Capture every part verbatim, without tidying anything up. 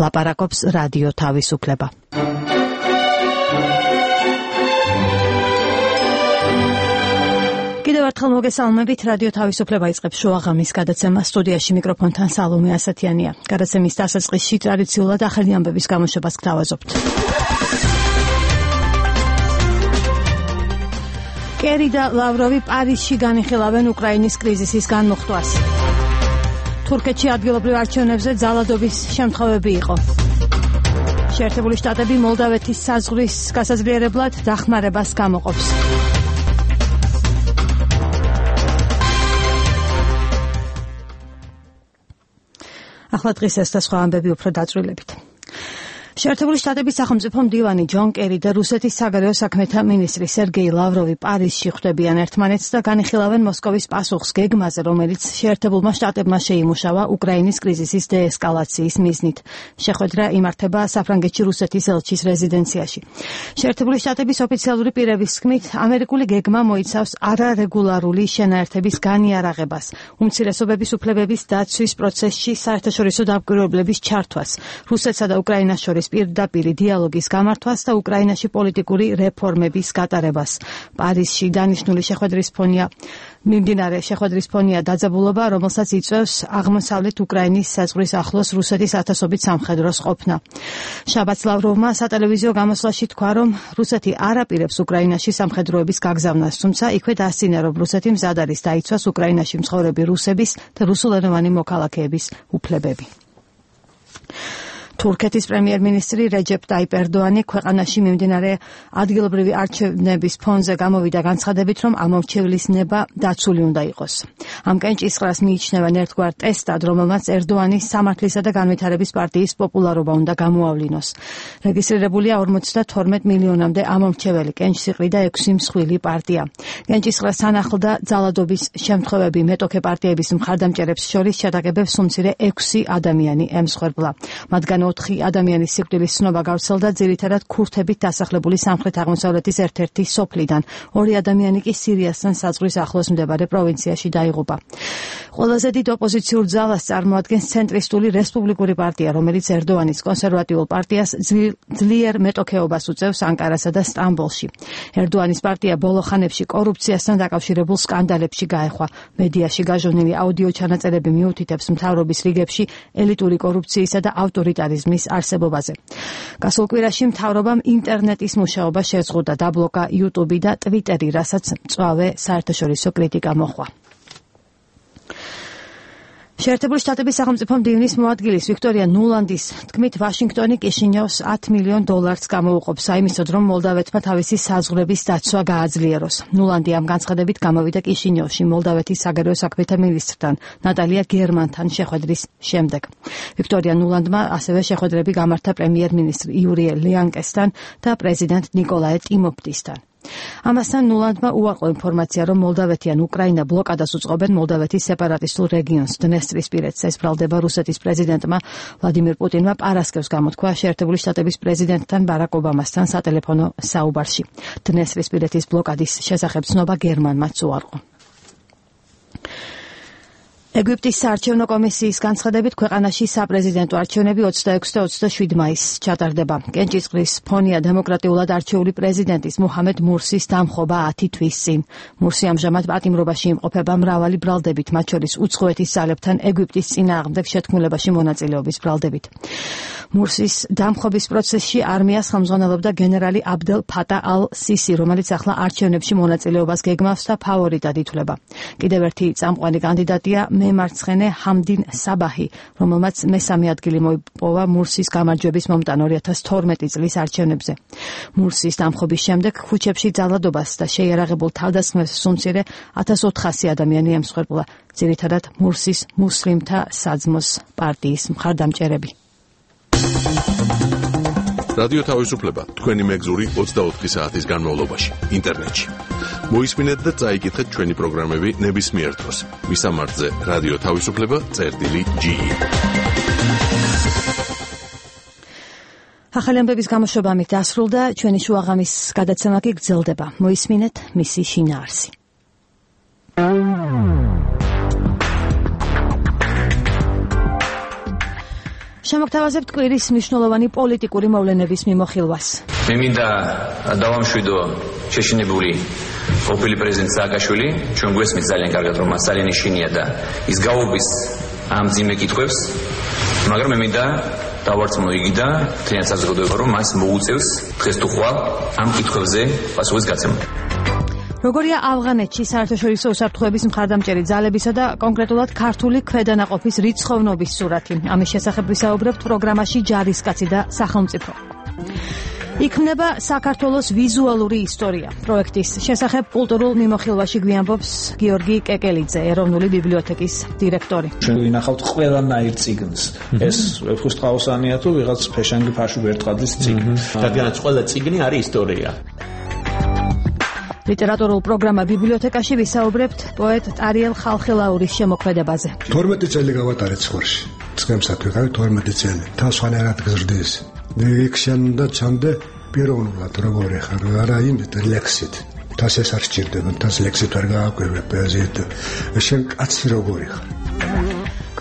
ლაპარაკობს რადიო თავისუფლება. კიდევ ერთხელ მოგესალმებით, რადიო თავისუფლება იწყებს შუაღამის გადაცემას. სტუდიაში მიკროფონთან სალომე ასათიანია. გადაცემის დასაწყისში ტრადიციულად ახალი ამბების გამოშვებას გთავაზობთ. კერი და ლავროვი პარიზში განიხილავენ უკრაინის კრიზისის განმუხტვას. თურქეთში ადგილობრივ არჩევნებზე ძალადობის შემთხვევები იყო. შეერთებული შტატები მოლდავეთის საზღვრის გასაზრიერებლად დახმარებას გამოყოფს. ახლა დღის ეს და სხვა ამბები უფრო დაწვრილებით. შეერთებული შტატების სახელმწიფო მდივანი ჯონ კერი და რუსეთის საგარეო საქმეთა მინისტრი სერგეი ლავროვი პარიზში ხვდებიან ერთმანეთს და განიხილავენ მოსკოვის პასუხს გეგმაზე, რომელიც შეერთებულმა შტატებმა შეიმუშავა უკრაინის კრიზისის დეესკალაციის მიზნით. შეხვედრა იმართება საფრანგეთში რუსეთის ელჩის რეზიდენციაში. შეერთებული შტატების ოფიციალური პირების თქმით, ამერიკული გეგმა მოიცავს არარეგულარული შენაერთების განიარაღებას, უმცირესობების უფლებების დაცვის პროცესში საერთაშორისო დამკვირვებლების ჩართვას, რუსეთსა და უკრაინას შორის პირდაპირი დიალოგის გამართვას და უკრაინაში პოლიტიკური რეფორმების გატარებას. პარიზში დანიშნული შეხვედრის ფონია მიმდინარე შეხვედრის ფონია დაძაბულობა, რომელსაც იწვევს აღმოსავლეთ უკრაინის საზღვრის ახლოს რუსეთის ათასობით სამხედროს ყოფნა. შაბათს ლავროვმა სატელევიზიო გამოსვლაში თქვა, რომ რუსეთი არ აპირებს უკრაინაში სამხედროების გაგზავნას, თუმცა იქვე დასცინე, რომ რუსეთი მზად არის დაიცვას უკრაინაში მცხოვრები რუსების და რუსულენოვანი მოქალაქეების უფლებები. თურქეთის პრემიერ-მინისტრი რეჯეპ ტაიპ ერდოანი ქვეყანაში მიმდინარე ადგილობრივი არჩევნების ფონზე გამოვიდა განცხადებით, რომ ამორჩევლის ნება დაცული უნდა იყოს. ამ კენჭისყრას მიიჩნევენ ერთგვარ ტესტად, რომელმაც ერდოანის სამართლისა და განვითარების პარტიის პოპულარობა უნდა გამოავლინოს. რეგისტრირებულია ორმოცდათორმეტ მილიონამდე ამორჩეველი, კენჭისყრი და ექვსი მსხვილი პარტია. კენჭისყრას ანახლდა ძალადობის შემთხვევები, მეტოქე პარტიების მხარდამჭერებს შორის შეტაკებებს უმცირე ექვსი ადამიანი ემსხვერპლა. მათგან ოთხი ადამიანის სიკვდილის ცნობა გავრცელდა ძირითადად ქურთებით დასახლებული სამხრეთ-აღმოსავლეთის ერთ-ერთი სოფლიდან. ორი ადამიანი კი სირიასთან საზღვრის ახლოს მდებარე პროვინციაში დაიღუპა. ყველაზე დიდ ოპოზიციურ ძალას წარმოადგენს ცენტრისტული რესპუბლიკური პარტია, რომელიც ერდოანის კონსერვატიულ პარტიას ძლიერ მეტოქეობას უწევს ანკარასა და სტამბოლში. ერდოანის პარტია ბოლო ხანებში კორუფციასთან დაკავშირებულ სკანდალებში გაეხვა. მედიაში გაჟონილი აუდიო ჩანაწერები მიუთითებს მთავრობის რიგებში ელიტური კორუფციისა და ავტორიტარიზმის არსებობაზე. გასულ კვირაში მთავრობამ ინტერნეტის მუშაობა შეზღუდა, დაბლოკა YouTube და Twitter-ი, რასაც მწვავე საერთაშორისო კრიტიკა მოჰყვა. შეერთებული შტატების სახელმწიფო მდივნის მოადგილის ვიქტორია ნულანდის თქმით, ვაშინგტონი კიშინიოვს ათ მილიონ დოლარს გამოუყოფს აიმისოდ, რომ მოლდავეთმა თავისი საზღვრების დაცვა გააძლიეროს. ნულანდი ამ განცხადებით გამოვიდა კიშინიოვში მოლდავეთის საგარეო საქმეთა მინისტრთან ნატალია გერმანთან შეხვედრის შემდეგ. ვიქტორია ნულანდმა ასევე შეხვედრები გამართა პრემიერ-მინისტრ იურიე ლიანკესთან და პრეზიდენტ ნიკოლაე ტიმოფტისთან. ამასთან ნულანდმა უარყო ინფორმაცია, რომ მოლდავეთი ან უკრაინა ბლოკადას უწყობენ მოლდავეთის სეპარატისტულ რეგიონს დნესტრისპირეთს. ეს ბრალდება რუსეთის პრეზიდენტმა ვლადიმირ პუტინმა პარასკევს გამოთქვა შეერთებული შტატების პრეზიდენტთან ბარაკ ობამასთან სატელეფონო საუბარში. დნესტრისპირეთის ბლოკადის შესახებ ცნობა გერმანმაც უარყო. ეგვიპტის საარჩევნო კომისიის განცხადებით, ქვეყანაში საპრეზიდენტო არჩევნები ოცდაექვსი და ოცდაშვიდი მაისს ჩატარდება. კენჭისყრის ფონია დემოკრატიულად არჩეული პრეზიდენტის მუჰამედ მურსის დამხობა ათი თვის წინ. მურსი ამჟამად პატიმრობაში იმყოფება მრავალი ბრალდებით, მათ შორის უცხოეთის ძალებთან ეგვიპტის წინააღმდეგ შეთქმულებაში მონაწილეობის ბრალდებით. მურსის დამხობის პროცესში არმიას ხელმძღვანელობდა გენერალი აბდელ ფატა ალ-სისი, რომელიც ახლა არჩევნებში მონაწილეობას გეგმავს და ფავორიტად ითვლება. კიდევ ერთი წამყვანი კანდიდატია მემარცხენე ჰამდინ საბაჰი, რომელმაც მესამე ადგილი მოიპოვა მურსის გამარჯვების მომტან ორი ათას თორმეტი წლის არჩევნებზე. მურსის დამხობის შემდეგ ქუჩებში ძალადობას და შეიარაღებულ თავდასხმებს უმცირე ათას ოთხასი ადამიანი ემსხვერპლა, ძირითადად მურსის მუსლიმთა საძმოს პარტიის მხარდამჭერები. რადიო თავისუფლება თქვენი მეგზური ოცდაოთხი საათის განმავლობაში ინტერნეტში. მოისმინეთ და წაიკითხეთ ჩვენი პროგრამები ნებისმიერ დროს. მისამართზე რადიო თავისუფლება წერტილი ჯი. ახალი ამბების გამოშვება ამით დასრულდა, ჩვენი შუაღამის გადაცემა კი გრძელდება. მოისმინეთ მისი შინაარსი. შემოგთავაზებთ კვირის მნიშვნელოვანი პოლიტიკური მოვლენების მიმოხილვას. მე მინდა დავამშვიდო შეშინებული ყოფილი პრეზიდენტ სააკაშვილი, ჩვენ გვესმის ძალიან კარგად, რომ მას ძალიან ეშინია და ის გაუგვის ამ ძიმე კითხვებს, მაგრამ მე მინდა დავარწმუნო იგი და მთლიან საზოგადოება, რომ მას მოუწევს დღეს თუ ხვალ ამ კითხვებზე პასუხის გაცემა. როგორია ავღანეთში საერთაშორისო უსაფრთხოების მხარდამჭერი ძალებისა და კონკრეტულად ქართული ქვედანაყოფის რიცხოვნობის სურათი. ამის შესახებ ვისაუბრებთ პროგრამაში ჯარისკაცი და სახელმწიფო. იქმნება საქართველოს ვიზუალური ისტორია. პროექტის შესახებ კულტურულ მიმოხილვაში გვიამბობს გიორგი კეკელიძე, ეროვნული ბიბლიოთეკის დირექტორი. ჩვენ ვინახავთ ყველანაირ წიგნს. ეს ვეფხისტყაოსანია თუ ვიღაც ფეშანგი ფარში ვერტყადის წიგნი. რადგანაც ყველა წიგნი არის ისტორია. ლიტერატურულ პროგრამა ბიბლიოთეკაში ვისაუბრებთ პოეტ ტარიელ ხალხელაურის შემოქმედებაზე. თორმეტი წელი გავატარეთ ცხვარში. წყემსად ვიყავი თორმეტი წელი. თავს ვანერად გზრდის. იქ შენ უნდა ჩამდე პიროვნულად როგორი ხარ, არა იმით ლექსით. თავს ეს არ სჭირდება, თავს ლექსით ვერ გააკვირვებ პოეზიით. შენ კაცი როგორი ხარ.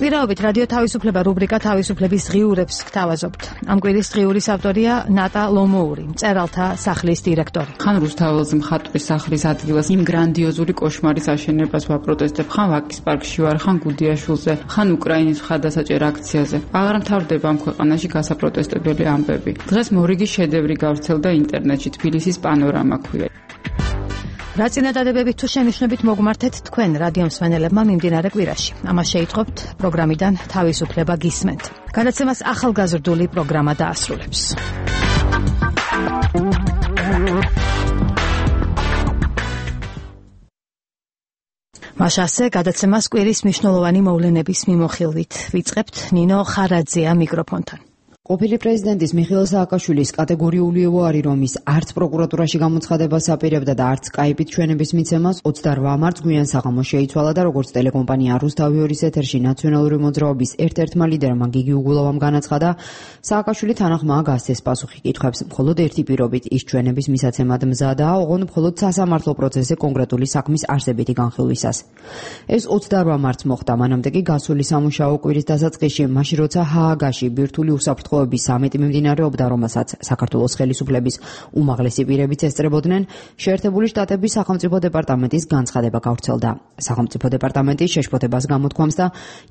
კვირაობით რადიო თავისუფლება რუბრიკა თავისუფლების ღიურებს გთავაზობთ. ამ კვირის ღიურის ავტორია ნატა ლომოური, მწერალთა სახლის დირექტორი. ხან რუსთაველს მხატვრის სახლის ადგილას იმ გრანდიოზული კოშმარის აშენებას ვაპროტესტებ, ხან ვაკის პარკში ვარ, ხან გუდიაშვილზე, ხან უკრაინის მხარდასაჭერ აქციაზე. აღარ მთავრდება ამ ქვეყანაში გასაპროტესტებელი ამბები. დღეს მორიგი შედევრი გავრცელდა ინტერნეტში, თბილისის პანორამა ქვია. რა წინადადებებით თუ შენიშვნებით მოგმართეთ თქვენ რადიო მსმენელებმა მიმდინარე კვირაში. ამას შეიტყობთ პროგრამიდან თავისუფლება გისმენთ. გადაცემას ახალგაზრდული პროგრამა დაასრულებს. მაშასე გადაცემას კვირის მნიშვნელოვანი მოვლენების მიმოხილვით ვიწყებთ. ნინო ხარაძეა მიკროფონთან. ყოფილი პრეზიდენტის მიხეილ სააკაშვილის კატეგორიული უარი, რომ ის არც პროკურატურაში გამოცხადებას აპირებდა და არც სკაიპით ჩვენების მიცემას ოცდაორ მარტს გვიან საღამოს შეიცვალა და როგორც ტელეკომპანია რუსთავი ორის ეთერში ნაციონალური მოძრაობის ერთ-ერთმა ლიდერმა გიგი უგულოვამ განაცხადა, სააკაშვილი თანახმაა გასცეს პასუხი კითხვებს, მხოლოდ ერთი პირობით ის ჩვენების მისაცემად მზადაა, ოღონდ მხოლოდ სასამართლო პროცესზე კონკრეტული საქმის არსებითი განხილვისას. ეს ოცდაორ მარტს მოხდა, მანამდე კი გასული სამუშაო კვირის დასაწყისში, მაშინ როცა ჰააგაში ბირთვული უსაფრთხო სამეტი მიმდინარეობდა, რომელსაც საქართველოს ხელისუფლების უმაღლესი პირებიც ესწრებოდნენ, შეერთებული შტატების სახელმწიფო დეპარტამენტის განცხადება გავრცელდა. სახელმწიფო დეპარტამენტი შეშფოთებას გამოთქვამს და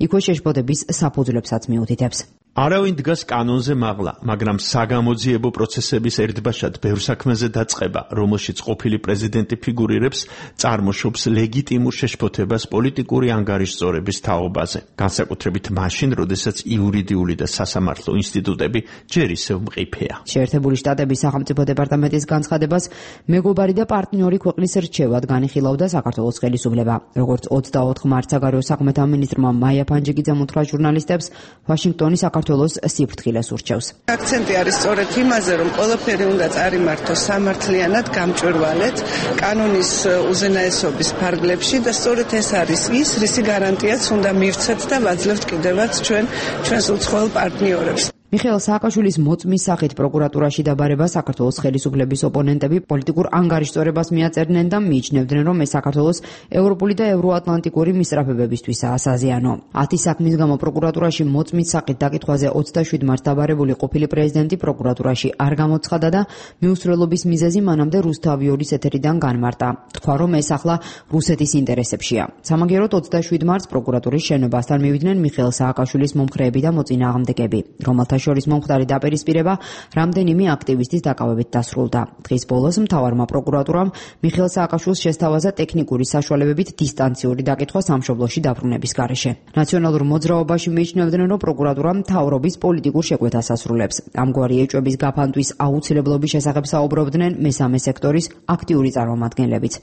იქვე შეშფოთების საფუძვლებსაც მიუთითებს. არავინ დგას კანონზე მაღლა, მაგრამ საგამოძიებო პროცესების ერთბაშად ბევრ საქმეზე დაწყება, რომელშიც ყოფილი პრეზიდენტი ფიგურირებს, წარმოშობს ლეგიტიმურ შეშფოთებას პოლიტიკური ანგარიშწორების თაობაზე. განსაკუთრებით მაშინ, როდესაც იურიდიული და სასამართლო ინსტიტუტები ჯერ ისევ მყიფეა. შეერთებული შტატების სახელმწიფო დეპარტამენტის განცხადებას მეგობარი და პარტნიორი ქვეყნის რჩევად განიხილავდა საქართველოს ხელისუფლება. როგორც ოცდაოთხ მარტს საგარეო საქმეთა მინისტრმა მაია ფანჯიკიძემ უთხრა ჟურნალისტებს, ვაშინგტონის საქართველოს სიფრთხილეს ურჩევს. აქცენტი არის სწორედ იმაზე, რომ ყველაფერი უნდა წარიმართოს სამართლიანად, გამჭვირვალედ, კანონის უზენაესობის ფარგლებში და სწორედ ეს არის ის, რისი გარანტიაც უნდა მივცეთ და ვაძლევთ კიდევაც ჩვენ ჩვენს უცხოელ პარტნიორებს. მიხეილ სააკაშვილის მოწმის სახით პროკურატურაში დაბარება საქართველოს ხელისუფლების ოპონენტები პოლიტიკურ ანგარიშწორებას მიაწერდნენ და მიიჩნევდნენ, რომ ეს საქართველოს ევროპული და ევროატლანტიკური მისწრაფებებისთვისაა საზიანო. ათი საქმის გამო პროკურატურაში მოწმის სახით დაკითხვაზე ოცდაშვიდ მარტს დაბარებული ყოფილი პრეზიდენტი პროკურატურაში არ გამოცხადა და მიუსწრელობის მიზეზი მანამდე რუსთავი ორის ეთერიდან განმარტა. თქვა, რომ ეს ახლა რუსეთის ინტერესებშია. სამაგიეროდ ოცდაშვიდ მარტს პროკურატურის შენობასთან მივიდნენ მიხეილ სააკაშვილის მომხრეები და მოწინააღმდეგეები, რომელთა შორის მომხდარი დაპირისპირება რამდენიმე აქტივისტის დაკავებით დასრულდა. დღის ბოლოს მთავარმა პროკურატურამ მიხეილ სააკაშვილს შესთავაზა ტექნიკური საშუალებებით დისტანციური დაკითხვა სამშობლოში დაბრუნების გარეშე. ნაციონალურ მოძრაობაში მიიჩნევდნენ, რომ პროკურატურა მთავრობის პოლიტიკურ შეკვეთას ასრულებს. ამგვარი ეჭვების გაფანტვის აუცილებლობის შესახებ საუბრობდნენ მესამე სექტორის აქტიური წარმომადგენლებიც.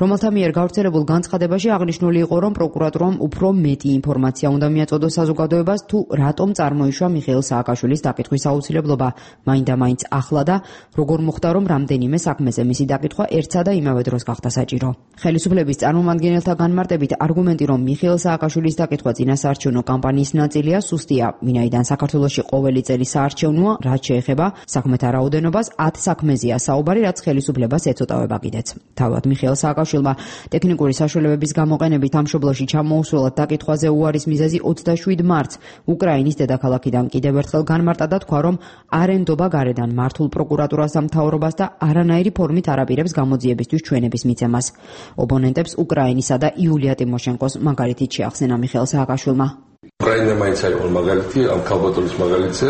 რომელთა მიერ გავრცელებულ განცხადებაში აღნიშნული იყო, რომ პროკურატურამ უფრო მეტი ინფორმაცია უნდა მიაწოდოს საზოგადოებას თუ რატომ წარმოიშვა მიხეილ სააკაშვილის სააკაშვილის დაკითხვის აუცილებლობა მაინდა-მაინც ახლა და როგორ მოხდა, რომ რამდენიმე საქმეზე მისი დაკითხვა ერთსა და იმავე დროს გახდა საჭირო. ხელისუფლების წარმომადგენელთა განმარტებით არგუმენტი, რომ მიხეილ სააკაშვილის დაკითხვა წინასაარჩევნო კამპანიის ნაწილია, სუსტია, ვინაიდან საქართველოში ყოველი წელი საარჩევნოა, რაც შეეხება საქმეთა რაოდენობას, ათ საქმეზეა საუბარი, რაც ხელისუფლებას ეწოტავება კიდეც. თავად მიხეილ სააკაშვილმა ტექნიკური საშუალებების გამოყენებით სამშობლოში ჩამოუსვლელად დაკითხვაზე უარის მიზეზი ოცდაშვიდ მარტს უკრაინის დედაქალაქიდან კიდევ ერთხელ განმარტა და თქვა, რომ არ ენდობა გარედან მართულ პროკურატურას და მთავრობას და არანაირი ფორმით არ აპირებს გამოძიებისთვის ჩვენების მიცემას. ოპონენტებს უკრაინისა და იულია ტიმოშენკოს მაგალითით შეახსენა მიხეილ სააკაშვილმა. უკრაინა მაინც არის მაგალითი, ამ ქალბატონის მაგალითზე,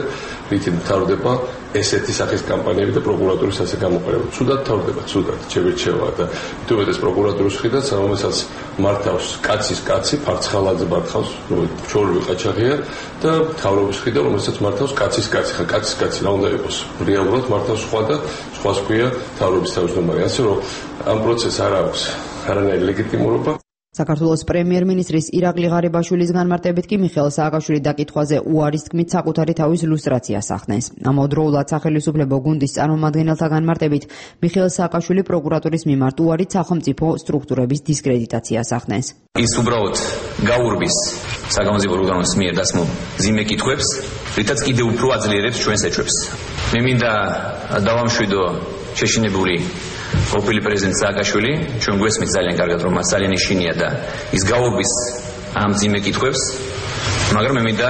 რითი მთავრდება ესეთი სახის კამპანიები და პროკურატურის ასე გამოყენება. ცუდად მთავრდება, ცუდად, ჩევირჩევა და თუმცა ეს პროკურატურის მხრიდან, რომელსაც მართავს კაცის კაცი, ფარცხალაძე მართავს, რომელიც ჩორლი ყაჩაღია და მთავრობის მხრიდან, რომელსაც მართავს კაცის კაცი, ხა კაცის კაცი რა უნდა იყოს? რეალურად მართავს სხვა და სხვას ქვია მთავრობის თავმჯდომარე. ასე რომ ამ პროცესს არ აქვს არანაირი ლეგიტიმურობა. საქართველოს პრემიერ-მინისტრის ირაკლი ღარიბაშვილის განმარტებით კი მიხეილ სააკაშვილის დაკითხვაზე უარის თქმით საკუთარი თავის ლუსტრაციას ახდენს. ამავდროულად სახელმწიფო გუნდის წარმომადგენელთა განმარტებით მიხეილ სააკაშვილი პროკურატურის მიმართ უარით სახელმწიფო სტრუქტურების დისკრედიტაციას ახდენს. ის უბრალოდ გაურბის სახელმწიფო ორგანოს მიერ დასმულ მძიმე კითხვებს, რითაც კიდევ უფრო აძლიერებს ჩვენს ეჭვებს. მე მინდა დავამშვიდო შეშინებული ყოფილი პრეზიდენტ სააკაშვილი, ჩვენ გვესმით ძალიან კარგად, რომ მას ძალიან ეშინია და ის გაურბის ამ მძიმე კითხვებს, მაგრამ მე მინდა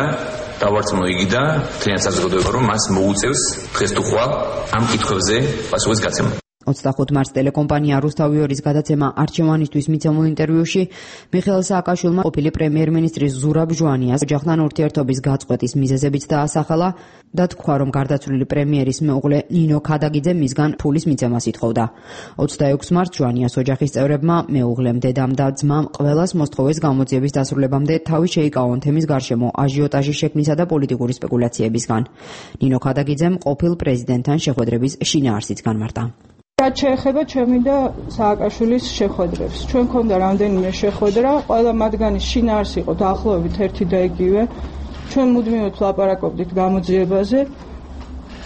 დავარწმუნო იგი და მთლიან საზოგადოება, რომ მას მოუწევს დღეს თუ ხვალ ამ კითხვებზე პასუხის გაცემა. ოცდახუთ მარტს ტელეკომპანია რუსთავიორის გადაცემა არჩევანისთვის მიცემულ ინტერვიუში მიხეილ სააკაშვილმა ყოფილი პრემიერ-მინისტრის ზურაბ ჟვანიას ოჯახთან ურთიერთობის გაწყვეტის მიზეზებიც დაასახელა და თქვა, რომ გარდაცვლილი პრემიერის მეუღლე ნინო ქადაგიძე მისგან ფულის მიცემას ითხოვდა. ოცდაექვსი მარტს ჟვანიას ოჯახის წევრებმა მეუღლემ, დედამ და ძმამ ყველას მოსთხოვეს გამოძიების დასრულებამდე თავი შეიკავონ თემის გარშემო აჟიოტაჟის შექმნისა და პოლიტიკური სპეკულაციებისგან. ნინო ქადაგიძემ ყოფილ პრეზიდენტთან შეხვედრების შინაარსიც განმარტა. რაც შეეხება ჩემი და სააკაშვილის შეხვედრებს. ჩვენ ქონდა რამდენიმე შეხვედრა, ყველა მათგანის შინაარსი იყო დაახლოებით ერთი და იგივე. ჩვენ მუდმივად ვლაპარაკობდით გამოძიებაზე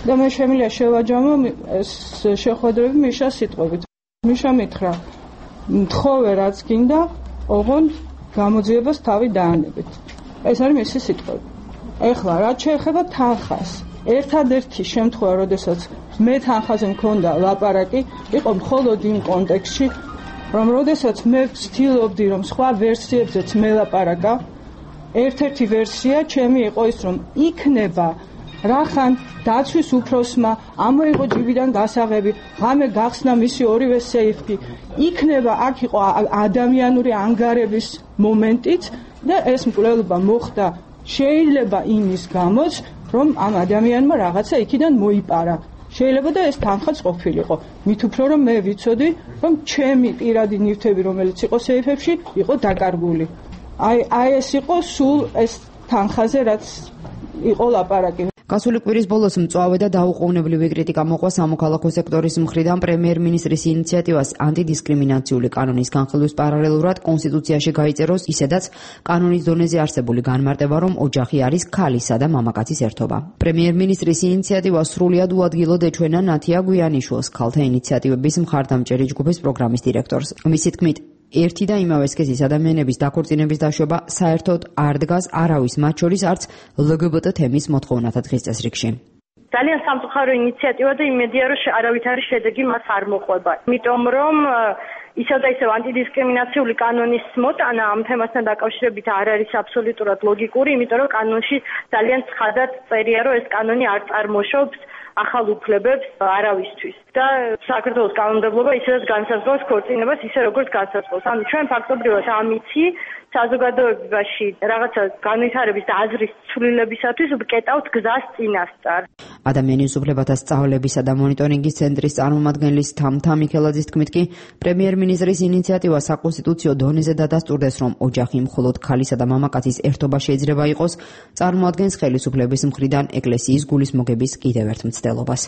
და მე შემიძლია შევაჯამო ეს შეხვედრები მიშას სიტყვებით. მიშა მითხრა, მთხოვე რაც გინდა, ოღონდ გამოძიებას თავი დაანებით. ეს არის მისი სიტყვები. ეხლა რაც შეეხება თანხას, ერთადერთი შემთხვევა, როდესაც მე თანხაზე მქონდა ლაპარაკი, იყო მხოლოდ იმ კონტექსტში, რომ როდესაც მე ვცდილობდი, რომ სხვა ვერსიებზეც მელაპარაკა, ერთ-ერთი ვერსია ჩემი იყო ის, რომ იქნება რახან დაცვის უფროსმა ამოიღო ჯიბიდან გასაღები, ღამე გახსნა მისი ორივე სეიფი, იქნება აქ იყო ადამიანური ანგარების მომენტიც და ეს მკვლელობა მოხდა შეიძლება იმის გამოც, რომ ამ ადამიანმა რაღაცა იქიდან მოიპარა. შეიძლება და ეს თანხაც ყოფილიყო. მით უფრო რომ მე ვიცოდი, რომ ჩემი პირადი ნივთები, რომელიც იყო სეიფებში, იყო დაკარგული. აი აი ეს იყო სულ ეს თანხაზე, რაც იყო ლაპარაკი. გასული კვირის ბოლოს მწვავე და დაუყოვნებლივი კრიტიკა მოყვა სამოქალაქო სექტორის მხრიდან პრემიერ-მინისტრის ინიციატივას ანტიდისკრიმინაციული კანონის განხილვის პარალელურად კონსტიტუციაში გაიწეროს ისედაც კანონის დონეზე არსებული განმარტება, რომ ოჯახი არის ქალისა და მამაკაცის ერთობა. პრემიერ-მინისტრის ინიციატივა სრულიად უადგილოდ ეჩვენა ნათია გვიანიშვილს, ქალთა ინიციატივების მხარდამჭერი ჯგუფის პროგრამის დირექტორს. მისი თქმით, ერთი და იმავე სქესის ადამიანების დაქორწინების დაშვება საერთოდ არ დგას არავის, მათ შორის არც ლგბტ თემის მოთხოვნათა დღის წესრიგში. ძალიან სამწუხარო ინიციატივა და იმედია, რომ არავითარი შედეგი მას არ მოყვება. იმიტომ რომ ისევ და ისევ ანტიდისკრიმინაციული კანონის მოტანა ამ თემასთან დაკავშირებით არ არის აბსოლუტურად ლოგიკური, იმიტომ რომ კანონში ძალიან ცხადად წერია, რომ ეს კანონი არ წარმოშობს ახალ უფლებებს არავისთვის და საქართველოს კანონმდებლობა ისედაც განსაზღვრავს ქორწინებას ისე როგორც განსაზღვრავს. ანუ ჩვენ ფაქტობრივად ამიცი საზოგადოებაში რაღაცა განვითარების და აზრის ცვლილებისათვის ვკეტავთ გზას წინასწარ. ადამიანის უფლებათა სწავლებისა და მონიტორინგის ცენტრის წარმომადგენლის თამთა მიქელაძის თქმით კი პრემიერ-მინისტრის ინიციატივა საკონსტიტუციო დონეზე დადასტურდეს, რომ ოჯახი მხოლოდ ქალისა და მამაკაცის ერთობა შეიძლება იყოს, წარმოადგენს ხელისუფლების მხრიდან ეკლესიის გულისმოგების კიდევ ერთ მცდელობას.